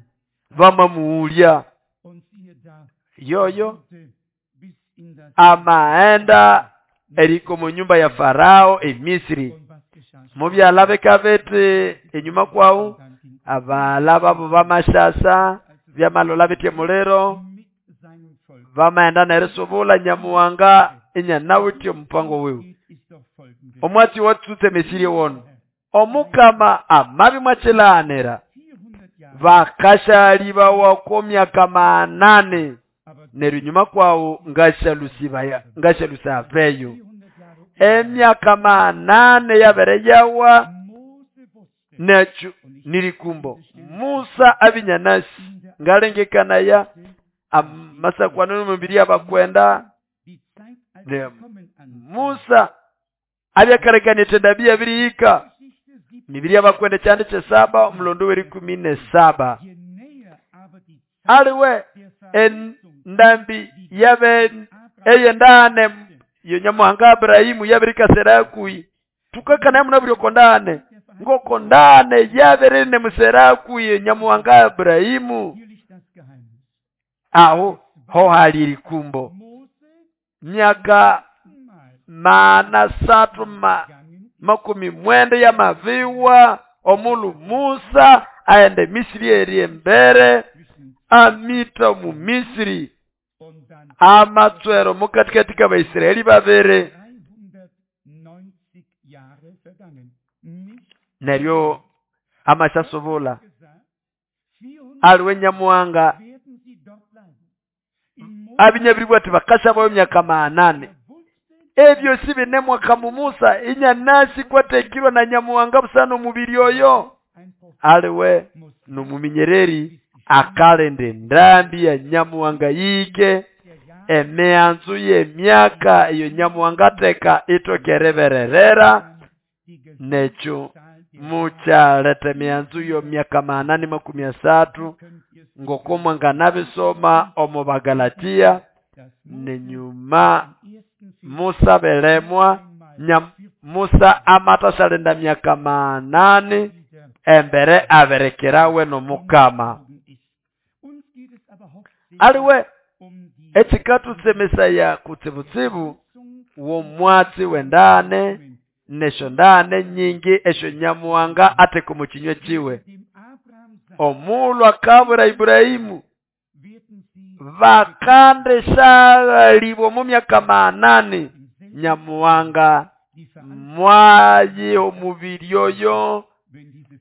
S1: vamamuulya yoyo amaenda eriko mu nyumba ya Farao e Misri mubyala bekabete enyuma kwawu abala babo bamashasa byamalola bitye mulero vamaenda nerisubula Nyamuhanga inya nawitye omupango wiwe omwatsi watsutse Misiri wono omukama amabi mwachilanira bakashalibawa ko myaka manane neryo nyuma kwawo ngashalusibaya ngashalusaveyo Emyaka manane yabere yawa nekyo nirikumbo. Musa abinyanasi ngalengekanaya amasakwano n'omubiri abakwenda ne Musa abyakarekanite ndabi yabirihika mibiri abakwenda kyandi kyesaba omulondo w'erikumi nesaba. Aliwe endambi yabe eyendane yo Nyamuhanga Abrahimu yabirikasera kui tukakana muna buri kondane ngoko ndane yaberene musera kui Nyamuhanga Abrahimu. Aho ho hali kumbo myaka mana satu ma makumi mwenda ya maviwa omulu Musa aende Misri eri embere amita mu Misri amatswero mukatikati ka Baisraeli babere. Neryo amashasobola aliwe Nyamuhanga abinyabiribwa ati bakashabayo myaka manane. Ebyo si binemwa kamu Musa inyanasi kwatekirwa na Nyamuhanga busana omubiri oyo. Aliwe numuminyereri akalende ndambi ya Nyamuhanga yike emeanzu ye myaka iyo Nyamuhanga teka itokerebererera nekyo mukyaleta emianzu yo myaka manane makumi asatu ngoko mwanganabisoma omu Bagalatia. Nenyuma Musa belemwa nya Musa amatashalenda myaka manane embere aberekerawe nomukama. Aliwe ekikatutsemesaya kutsibutsibu womwatsi wendane nesho ndane nyingi esho Nyamuhanga ateka mu kinywa kiwe. Omulwa kabura Ibrahimu bakande shalibwa mu myaka manane Nyamuhanga mwayi omubiri oyo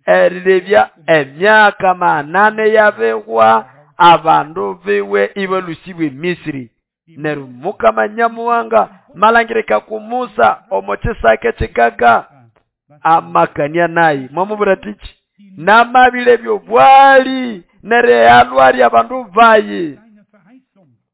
S1: erilebya emyaka manane yabegwa abandu biwe ibalusibwe Misri. Neru Mukama Nyamuhanga malangirika ku Musa omo kisake kikaga amakania nayi mwamubura tiki namabile byobwali nere alwali abandu bayi.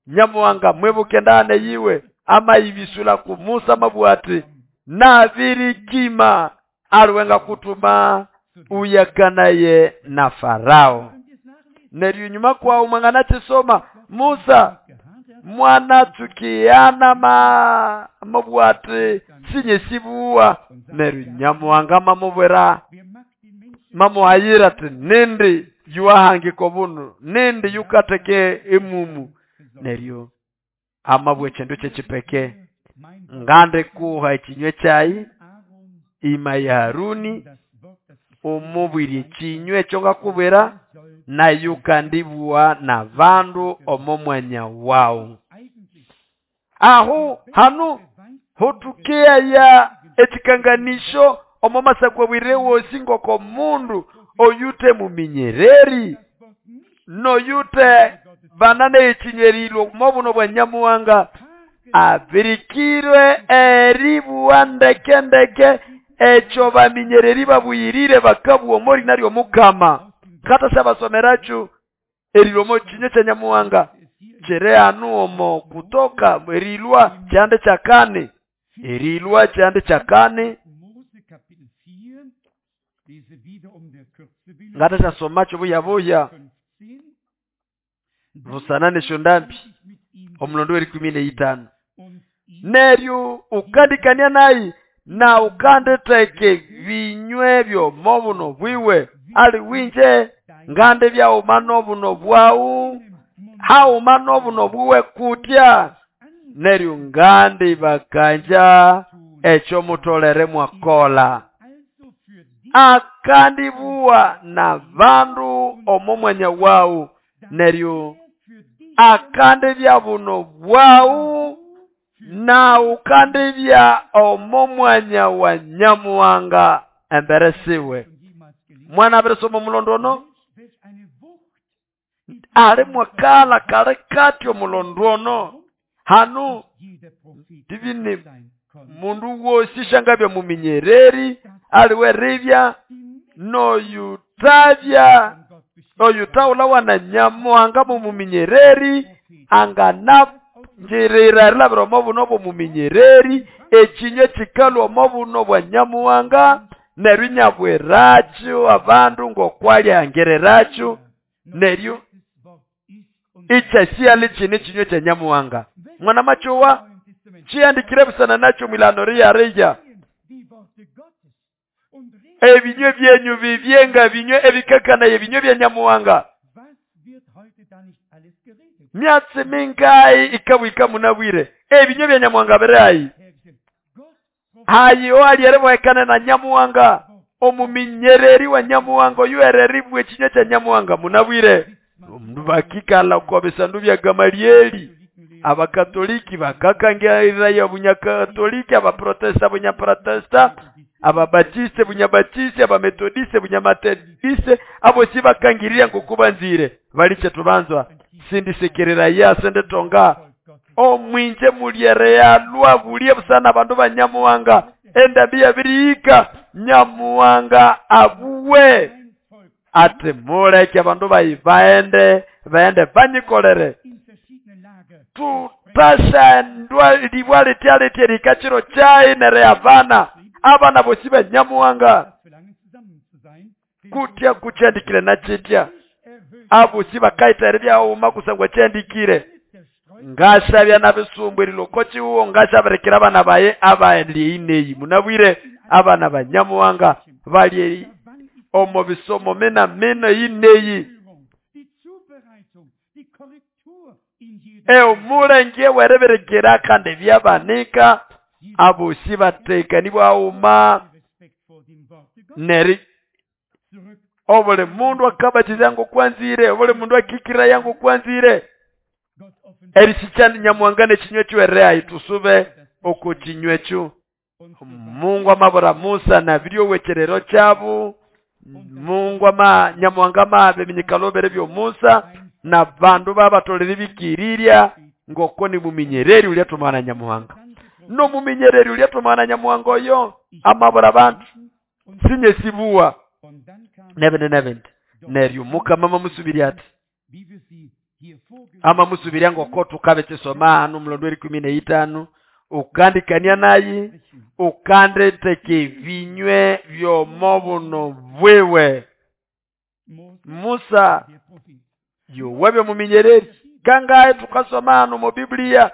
S1: Nyamuhanga mwebuke ndane yiwe amayibisula ku Musa mabwati nabirikima aliwenga kutuma uyakanaye na Farao. Neryo nyuma kwa umwangana chisoma Musa mwana tukiana ma mabwati sinye sibuwa. Neryo Nyamuhanga mamubwera mamuhayira ati nindi yuwahangiko bunu nindi yukateke emumu. Neryo amabwe chindu kyekipeke ngande kuha ekinywe kyayi ima ya Haruni omubwiri ekinywe ekyo ngakubwera nayo kandibwa na bandu omo mwanya wawu. Aho hanu hotukia ya ekikanganisho omo masakwa bwire wosi ngoko mundu oyute muminyereri noyute banane ekinyerilo mobuno bwa Nyamuhanga abirikirwe eribuwa ndeke ndeke ekyo baminyereri babuyirire bakabuwa omori naryo Mukama. Kata sabasomeracho erilomo kinywe kya Nyamuhanga kere anu omo kutoka erilwa kyande kyakane erilwa kyande kyakane ngata kyasomacho buya buya busanane shondambi omulondo w'erikumi n'eitano. Neryo ukandikania nayi na ukandeteke binywe byo mobuno bwiwe ali winje ngande byauma nobuno bwawu hauma nobuno bwiwe kutya. Neryo ngandi bakanja ekyo mutolere mwakola akandibuwa na bandu omo mwanya wawu. Neryo akande bya buno bwawu na ukande bya omo mwanya wa Nyamuhanga embere siwe. Mwana abirisoma omulondono ali mwakala kale kati omulondono hanu divine Mundu wosi shangabya muminyereri aliwe ribya noyutavya oyutawulawa na Nyamuhanga mumuminyereri anganangirira erilabira omo buno bw'omuminyereri ekinywa kikalwa omo buno bwa Nyamuhanga neryo inyabwirakyo abandu ng'okwalyangiriracyo neryo ikyasiali kino ekinywa kya Nyamuhanga. Mwana machowa chiandikire busana nakyo mwilano riyarija ebinywe byenyu bibyenga binywe ebikakana ebinywe bya Nyamuhanga. Myatsi mingai ikabwika munabwire ebinywe bya Nyamuhanga birayi hayo alierebohekana na Nyamuhanga omuminyereri wa Nyamuhanga oyuereribwe ekinywa kya Nyamuhanga munabwire. Omundu bakikala oko bisandu bya Gamalieli abakatoliki bakakangirira ya bunyakatoliki, abaprotesta bunyaprotesta, ababatiste bunyabatiste, abametodiste bunyametodiste, abo si bakangirira ngokubanzire baliche tubanzwa sindisekerera ya sendetonga omwinje mulyerealwa bulie busana abandu ba Nyamuhanga endabi yabirika Nyamuhanga abuwe ati muleke abandu bayi baende baende banyikolere tutashandwa libwa litya likachiro chai nere abana abana bosi ba Nyamuhanga kutya kuchandikire na chitya abo si bakaita byauma kusangwa chandikire ngashabya nabisumbwe lilokochi uwo ngashaberekera abana baye abaendie ineyi munabwire abana ba Nyamuhanga bali omo bisomo mena meno ineyi eo mulenge wereberekera kandi byabanika abo si batekanibwa auma neri obule mundu akabatiza yango kwanzire obule mundu akikira yango kwanzire erisichani Nyamuhanga nekinywe chiwereayi tusube oko kinywe kyo. Mungu amabura Musa na biryo wecherero kyabu Mungu ama Nyamuhanga mabe minyikalobere byo Musa na bandu babatolere bikirirya ngoko ni muminyereri ulyatumana Nyamuhanga no muminyereri ulyatumana Nyamuhanga oyo amabura bantu sinye sibuwa nebene nebende neryo Mukama mamusubiri ati ama musubiri ngoko tukabe kisoma anu mulondo ikumi na itano ukandikania nayi ukandeteke vinywe byomobuno bwewe. Musa yowebye muminyereri kangaye tukasoma anu mu Biblia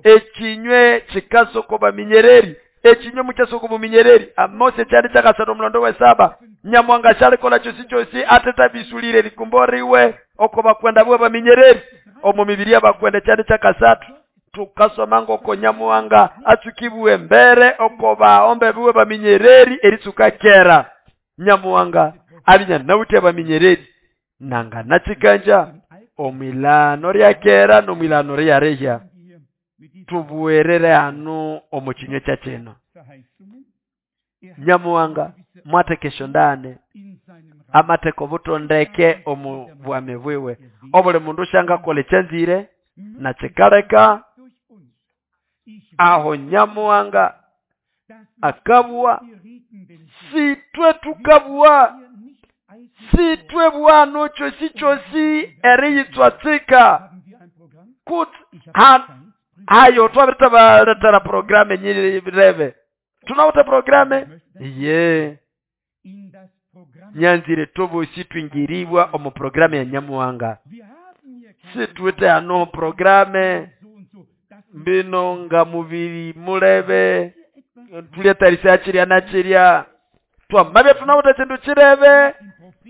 S1: ekinywe kikasoko baminyereri ekinywe mukyasoko muminyereri Mose kyali kyakasatu omulondo we saba Nyamuhanga kyalikola kyosi kyosi atetabisulire likumboriwe oko bakwenda bwe baminyereri omu mibiri abakwenda kyali kyakasatu tukasoma ngoko Nyamuhanga atsukibwe mbere oko baombe bwe baminyereri eritsuka kera Nyamuhanga abinya nawutya baminyereri nanga nachikanja omwilano lya kera nomwilano lya rehya tubuwerere anu omu kinywe kya kino. Nyamuhanga mwatekesho ndane amateko butondeke omu bwame bwiwe obuli mundu shanga kole kyanzire na kikaleka aho Nyamuhanga akabwa sitwe tukabwa sitwe bwano chosi chosi eriyitswatsika kut hayo twabiritabaletera programe nyirebe tunawuta programe ye nyanzire tobosi twingiribwa omu programe ya Nyamuhanga situwete ano programe mbino nga mubiri mulebe tuletarisa chirya na chirya twamabya tunawuta chindu chirebe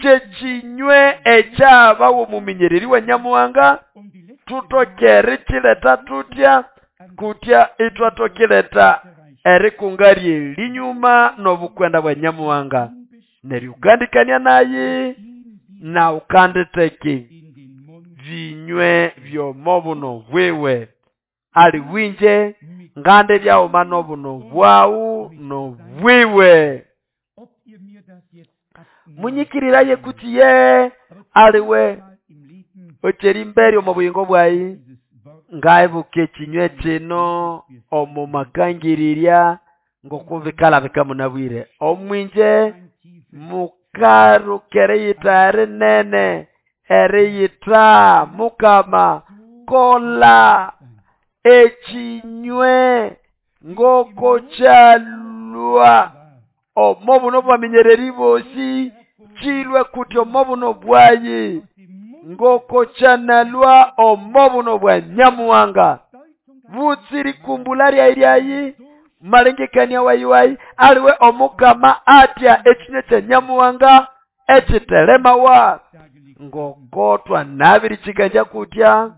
S1: kyekinywe ekyabawo muminyereri wa Nyamuhanga tutokere chileta tutya kutya itwatokileta erikunga linyuma nobukwenda bwa Nyamuhanga neryo ukandikania naye na ukanditeke vinywe byomobuno bwiwe ali winje ngande byauma nobuno bwawu nobwiwe munyikiriraye kuti ye aliwe ocheri mberi omu buyingo bwayi Ngaibuka ekinywa kino omu makangirirya ngokubikalabika munabwire omwinje mukaruka eriyitha erinene eriyitha mukama kola ekinywe ngoko kyalwa omo buno bwaminyereri bosi kilwe kuti omo buno bwayi ngoko kyanalwa omo buno bwa Nyamuhanga butsiri kumbula ryayi malengekania wayi wayi aliwe omukama atya ekinywe kya Nyamuhanga ekitelemawa ngokotwa nabiri kikanja kutya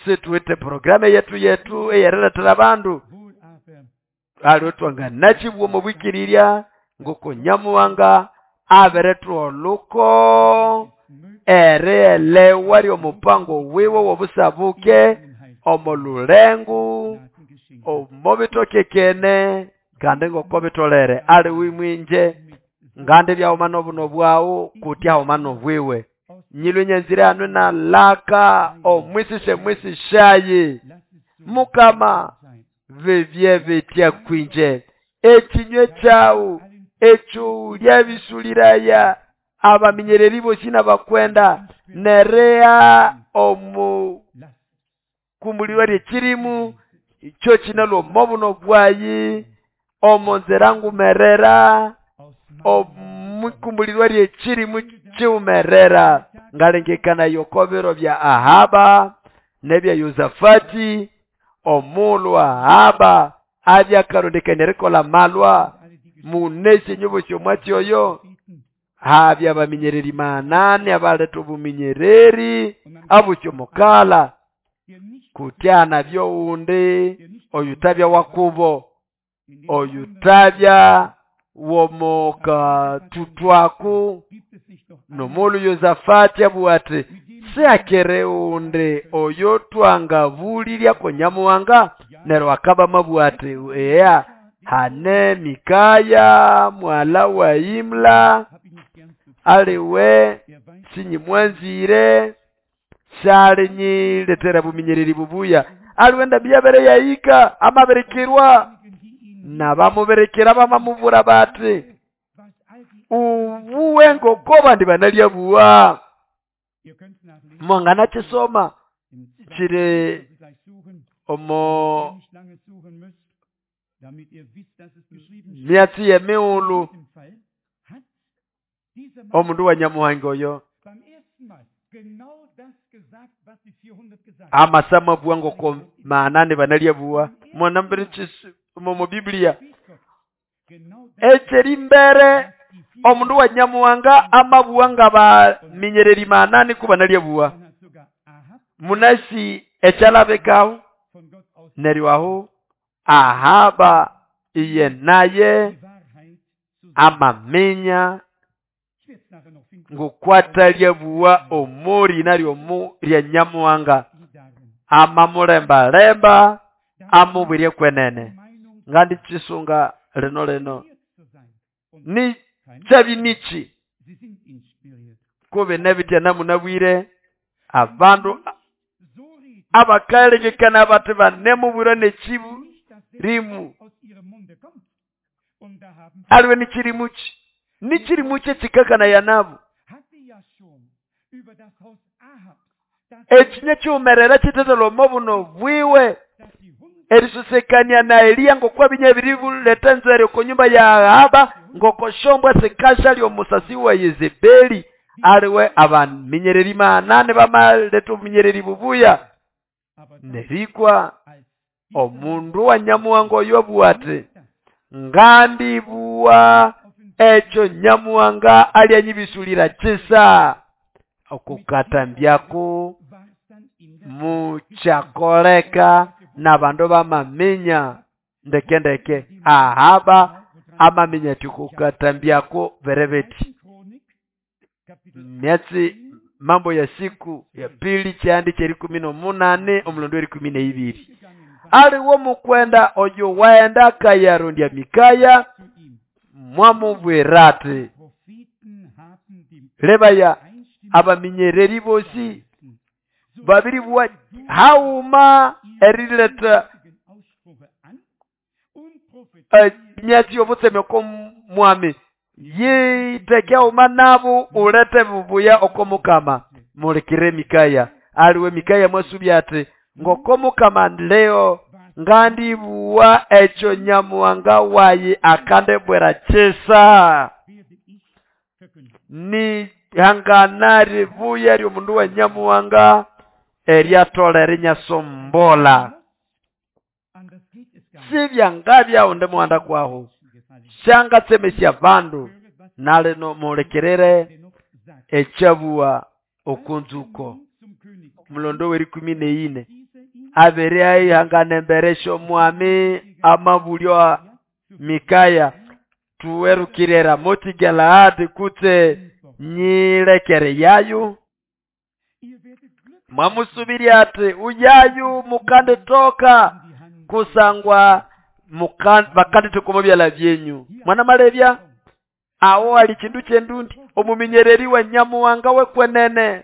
S1: situwite programu yetu yetu eyeriletera abandu aliwe twanganakibwa omu bwikirirya ngoko Nyamuhanga abiretwa oluko erielewa lyomupango wiwe wobusabuke omo lulengu omo bitokekene kandi ngoko bitolere aliwe mwinje ngandi byahuma nobuno bwawu kutya huma nobwiwe nyilwe nyanzira anu na laka omwisishe mwisishayi mukama bebye betya kwinje ekinywe kyawu ekyo lyabisuliraya abaminyereri bosi n'abakwenda nerea omu kumulirwa lyekirimu ikyo kinalwa omo buno bwayi omo nzira ngumerera omukumulirwa lyekirimu kiwumerera ngalengekana yokobiro bya Ahaba nebya Yosafati omulwa Ahaba abyakarondekania erikola malwa munesi enyubo syomwatsi oyo habya abaminyereri manane abaletha obuminyereri abusyo mukala kutyana byowundi oyutabya wakubo oyutabya womoka tutwaku nomolu Yosafati abuwati siakere undi oyo twangabulirya Nyamuhanga neryo akaba mabuwati eya hane Mikaya mwala wa Imla aliwe sinyimwanzire syalinyiletera buminyereri bubuya aliwe ndabi yabere yayika amaberekerwa nabamuberekera bamamubura bati ubuwe ngoko bandi banalyabuwa mwangana kisoma kiri omo myatsi yemiwulu omundu wa Nyamuhanga oyo amasama buwa ngoko maanane banalyabuwa mwanambere omo Biblia ekyeri mbere omundu wa Nyamuhanga amabuwa nga baminyereri maanane ku banalyabuwa munasi ekyalabekaho neryo aho Ahaba iye naye amaminya ngokwatalyabuwa omori naryo omu lya Nyamuhanga amamulembalemba amubwirye kwenene ngandi kisunga lino lino ni kyabi niki kube nebitya namunabwire abandu abakalengekana bati banemubwirwa nekibu rimu aliwe nikirimuki nikirimuki ekikakana yanabu ekinywa kiwumerera kitetela omo buno bwiwe erisusekania na Eliya ngokwa binya ebiribuleta nzere oko nyumba ya Ahaba ngokoshombwa sikasha lyomusasi wa Yezebeli aliwe abaminyereri manane bamaleta obuminyereri bubuya nerikwa omundu wa Nyamuhanga oyo abuwa ati ngandibuwa ekyo Nyamuhanga alyanyibisulira kisa okukatambyako mukyakoleka n'abandu bamaminya ndeke ndeke Ahaba amaminya ati kukatambyako berebeti myatsi mambo ya siku ya pili kyandi kyerikumi nomunane omulondo werikumi neibiri aliwo mukwenda oyo waenda kayarondya Mikaya mwamubwira ati lebaya abaminyereri bosi Babiribwa hauma erileta emyatsi y'obutseme oko mwami yiteke hauma nabo ulete bubuya oko mukama. Mulikire Mikaya aliwe Mikaya mwasubya ati ngoko mukama leo ngandibuwa ekyo Nyamuhanga wayi akandibwira kisa. Ni hangana ribuya ry'omundu wa Nyamuhanga eryatolera inyasombola. Sibyangabya undi muhanda kwaho syangatsemesya bandu nalino mulikirire ekyabuwa okunzuko. Mulondo w'erikumi n'eine abere aihangana embere sy'omwami amabulyo Mikaya tuwerukire Ramoti Galaadi kutse nyilekere yayu. Mwamusubiri ati uyayu mukanditoka kusangwa bakanditoka omu byala byenyu. Mwana malebya awo ali kindu kyendundi omuminyereri wa Nyamuhanga wekwenene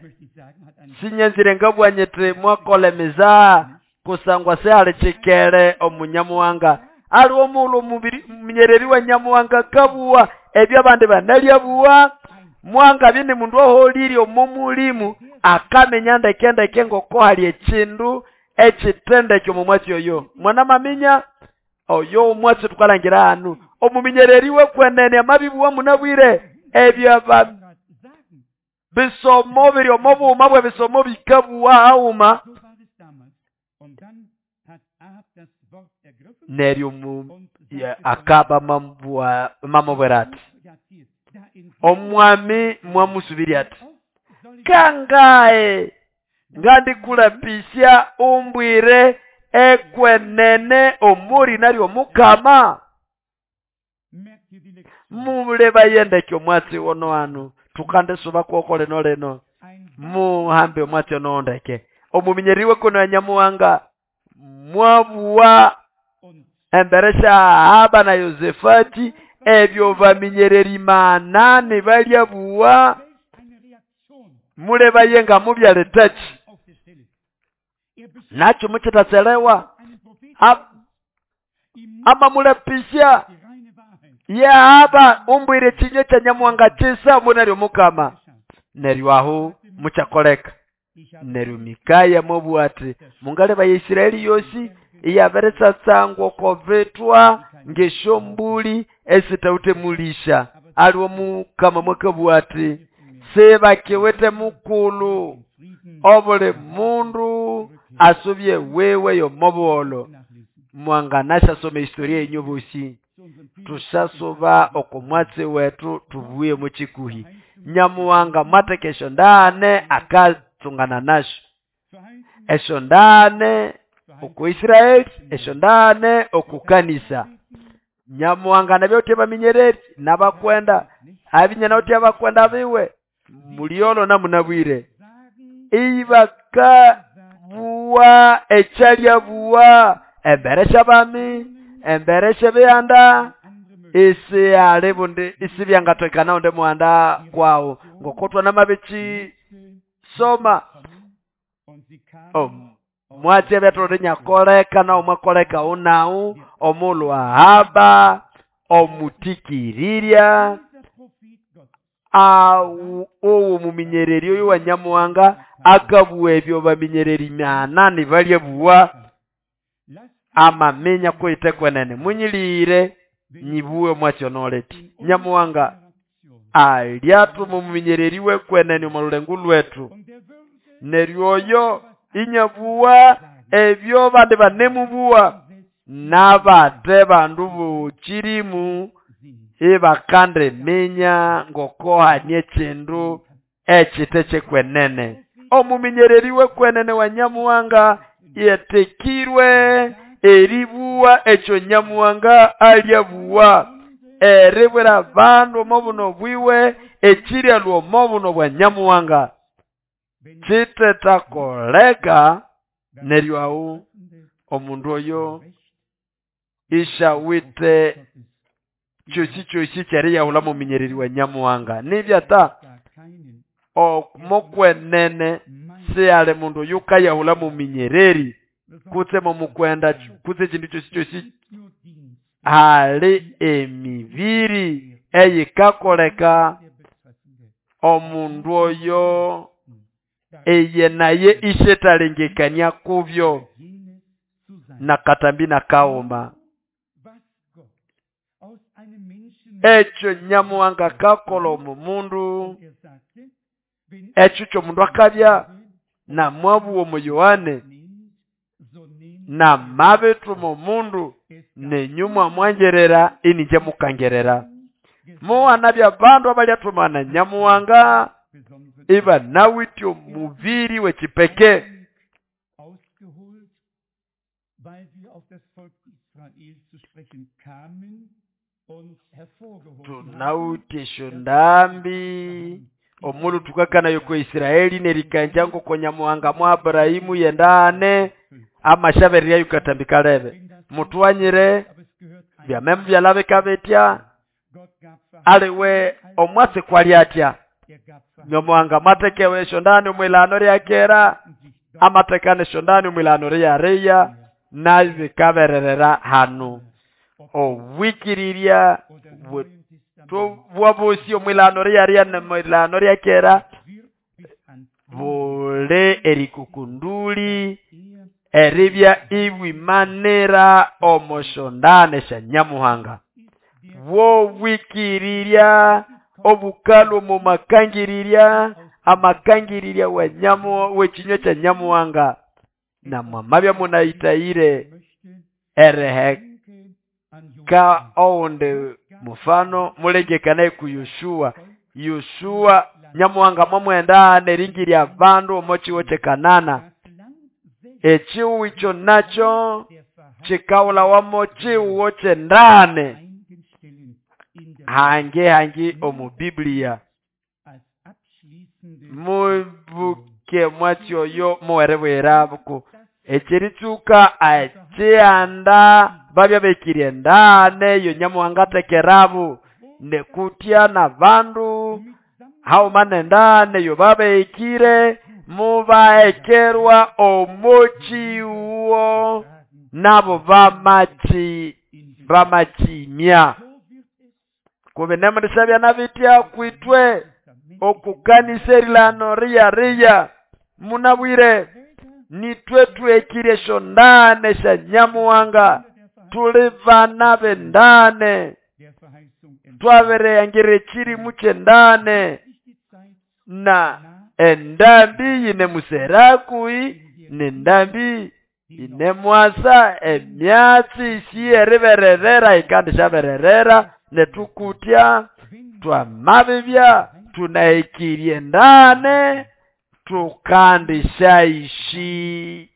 S1: sinyenzire ngabwanyete mwakolemeza kusangwa se chikere omunyamuhanga ali omulo omuminyereri wa Nyamuhanga kabuwa ebyo abandi banalyabuwa mwanga bine mundu aholire omu mulimu akamenya ndekendeke ngoko hali ekindu ekitende ky'omumwatsi oyo. Mwana maminya oyo omwatsi tukalangira hanu omuminyereri wekwenene amabibuwa munabwire ebyo bisomo biri omubuuma bwe bisomo bikabuwa hauma. Neryo akaba mamubwira ati omwami mwamusubiri ati kangae ngandikulapisya umbwire ekwenene omuri naryo mukama. Muleba yendeke omwatsi wono hanu tukandisuba kwoko lino lino muhambe omwatsi ono ndeke. Omuminyeri wekwenene wa Nyamuhanga mwabuwa embere sya Ahaba na Yosefati ebyo baminyereri manane balyabuwa muleba yenga mubyaletaki nakyo mukitatselewa ama mulepisya Yahaba umbwire kinyo kya Nyamuhanga kisa munaryo mukama. Neryo aho mukyakoleka. Neryo Mikaya mwabuwa ati mungaleba ya Isiraeli yosi iyaberetsatsangwa oko bitwa ngesyombuli esitawite mulisha. Aliwo mukama mwakabuwa ati sebakiwete mukulu obuli mundu asubye wewe yomobuholo. Mwanganashasoma historia yenyu bosi tushasuba okomwatsi wetu tubuye mukikuhi. Nyamuhanga mwateka esyo ndane akatsungana nasyo esyo ndane oku Isiraeli esyo ndane oku kanisa. Nyamuhanga nabyo baminyereri nabakwenda abinyana uti abakwenda biwe muliolo na munabwire ibaka buwa ekyalya buwa embere bami embere biyanda isi ali bundi isi byangatwekana onde muhanda kwawo ngokotwa namabichi soma oh, mwatsi byatolere nyakoleka na omwakoleka unau omulhu Ahaba omutikirirya owo muminyereri oyo wa Nyamuhanga akabuwa ebyo baminyereri manane balyabuwa amamenya kwitekwenene munyilire nyibuwe mwatsi onoleti. Nyamuhanga alyatuma omuminyereri wekwenene omu lulengu lwetu neryo oyo inyabuwa ebyo bandi banemubuwa nabate bandu bukirimu ibakande minya ngokohanie ekindu ekite kyekwenene. Omuminyereri wekwenene wa Nyamuhanga yetekirwe eribuwa ekyo Nyamuhanga alyabuwa eribwira bandu omubuno bwiwe ekiryalwa omubuno bwa Nyamuhanga kitetakoleka. Neryo awo omundu oyo ishawite kyosi kyosi kyeriyahula muminyereri wa Nyamuhanga nibyata omokwenene Sihali mundu oyukayahula muminyereri kutse momukwenda kutse ekindu kyosi kyosi. Hali emibiri eyikakoleka omundu oyo eye naye ishetalengekania kubyo nakatambi nakaoma. Ekyo Nyamuhanga kakola omu mundu, ekyo kyomundu akabya namwabuwa omu Yohane namabithuma omundu nenyu mwamwangerera ininje mukangerera. Muwanabya abandu abalyathumana na Nyamuhanga ibanawithe omubiri w'ekipeke. Tunawithe esyo ndambi omulhu thukakanayo ko Isiraeli nerikanja ngoko Nyamuhanga mwa Abrahimu yendane amashabereryayo katambi kalebe. Mutwanyire byamemu byalabika bitya aliwe omwatsi kwalyatya. Nyamuhanga matekewe esyo ndani omwilano lyakera amatekane esyo ndani omwilano lyariya nabikabererera hanu. Obwikirirya bwabosi omwilano lyariya nemwilano lyakera bule erikukunduli eribya ibwimanira omoshondane sya Nyamuhanga. Bwobwikirirya obukalwa omu makangirirya amakangirirya wa nyamu w'ekinywa kya Nyamuhanga namwamabya munayitayire ereheka owundi mufano mulengekanaye ku Yoshua. Yoshua Nyamuhanga mwamwenda neringirya abandu omo kiwo kye Kanana. Ekiwo ikyo nakyo kikawulawamo kiwo kyendane hange hangi omu Biblia. Mubuke mwatsi oyo muwerebwera buku ekiritsuka ekyihanda babya bekirye endane yo Nyamuhanga atekerabu nekutya nabandu hauma nendane yo babekire mubaekerwa omochiwo nabo bamachi bamachimya. Kube nemurisabya nabitya kwitwe okukanisa erilano riya riya munabwire nitwe twekire esyo ndane sya Nyamuhanga tuli bana b'endane twabereyangira ekirimu ky'endane na endambi yine muserakui nendambi inemwasa emyatsi isiyeribererera ikandi syabererera netukutya twamabibya tunaekirie ndane tukandishaishi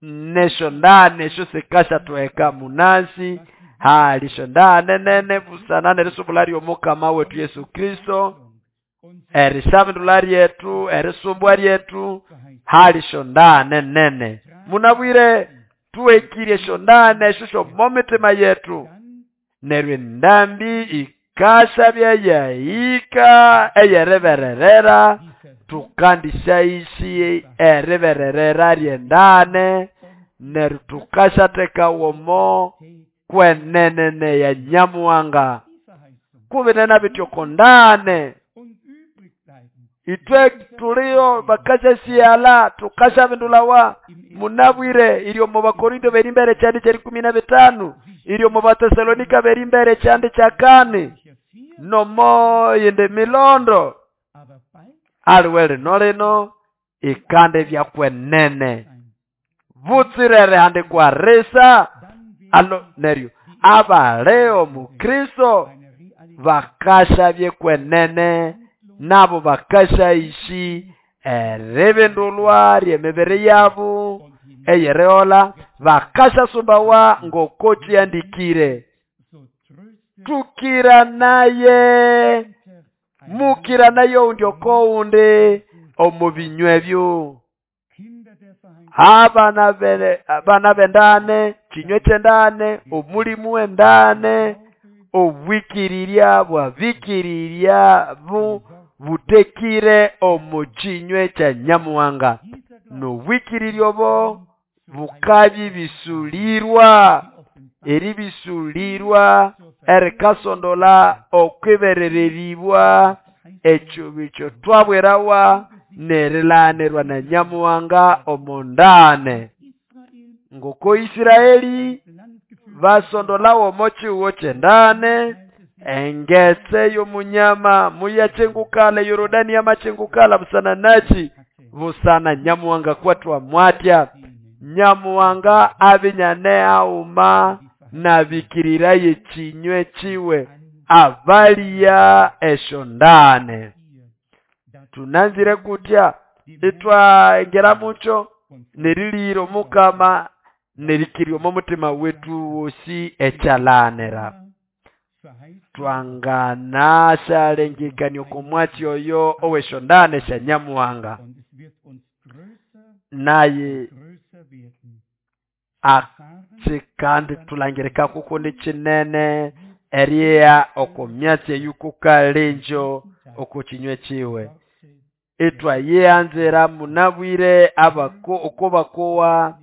S1: nesho ndane esyo sikasha tweka munasi halisho ndane nene busana nerisubula ly'omukama wetu Yesu Kristo erisabindula lyetu erisumbwa lyetu halisho ndane nene. Munabwire tuwekirie esyo ndane esyo syomo mitima yetu neryo endambi ikashabya yahika eyerebererera tukandishaishi eribererera lyendane neryo tukashatekawomo kwenenene ya Nyamuhanga kubinena bityo kondane itwe tulio bakasha siala tukasha bindulawa munabwire ilyo mu Bakorinto beri mbere kyandi kya ikumi na bitano ilyo mu Batesalonika beri mbere kyandi kya kane nomo yende milondo aliwe lino lino ikande byakwenene butsirere hande kwa resa alo neryo abaleo mu Kristo bakasha byekwenene nabo bakasha ishi eribindulwa lyemibiri yabo eyereola bakasha sumbawa ngoko kyandikire tukira naye mukira nayo undi okoundi omu binywa ebyo abana bene abana bendane kinywe kyendane omulimu wendane obwikirirya bwabikirirya bu butekire omo kinywe kya Nyamuhanga. N'obwĩkĩrĩrya obo bukabĩbĩsũlĩrwa, erĩbĩsũlĩrwa erikasondola okw'iberererĩbwa ekyo twabwirawa n'erilaganirwa na Nyamuhanga omo ndagane. Ngoko Isiraeli basondolawa omo kihugo ky'endagane, engetse y'omunyama muyakyingukala, eYorodani yamakyingukala busana nakyi? Busana Nyamuhanga kwathwa mwatya. Nyamuhanga abya iniane haguma n'abĩkĩrĩraye ekinywe kiwe abalya esyondagane. Tunanzire kutya itwangira mukyo n'erĩlĩghĩra Omukama n'erĩkĩrĩrya omo muthima wetu wosi ekyalaganira. Twanganashalengekania oko mwatsi oyo ow'esyondagane sya Nyamuhanga. Naye akyi kandi thulangirika kukundi kinene erigha oko myatsi eyo kukalengyo oko kinywe kiwe. Itwayihanzira munabwire abako oko bakowa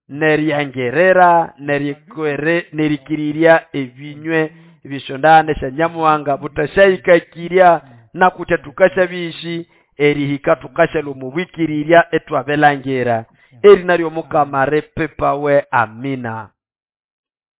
S1: n'eriangirira n'erikwere n'erĩkĩrĩrya ebinywe eby'esyondagane sya Nyamuhanga butasyahĩkakĩrya nakutya thukasyabishi erihika thukashalhwa omo bwĩkĩrĩrya ithwabilangira. Erina ly'Omukama ripipawe. Amina.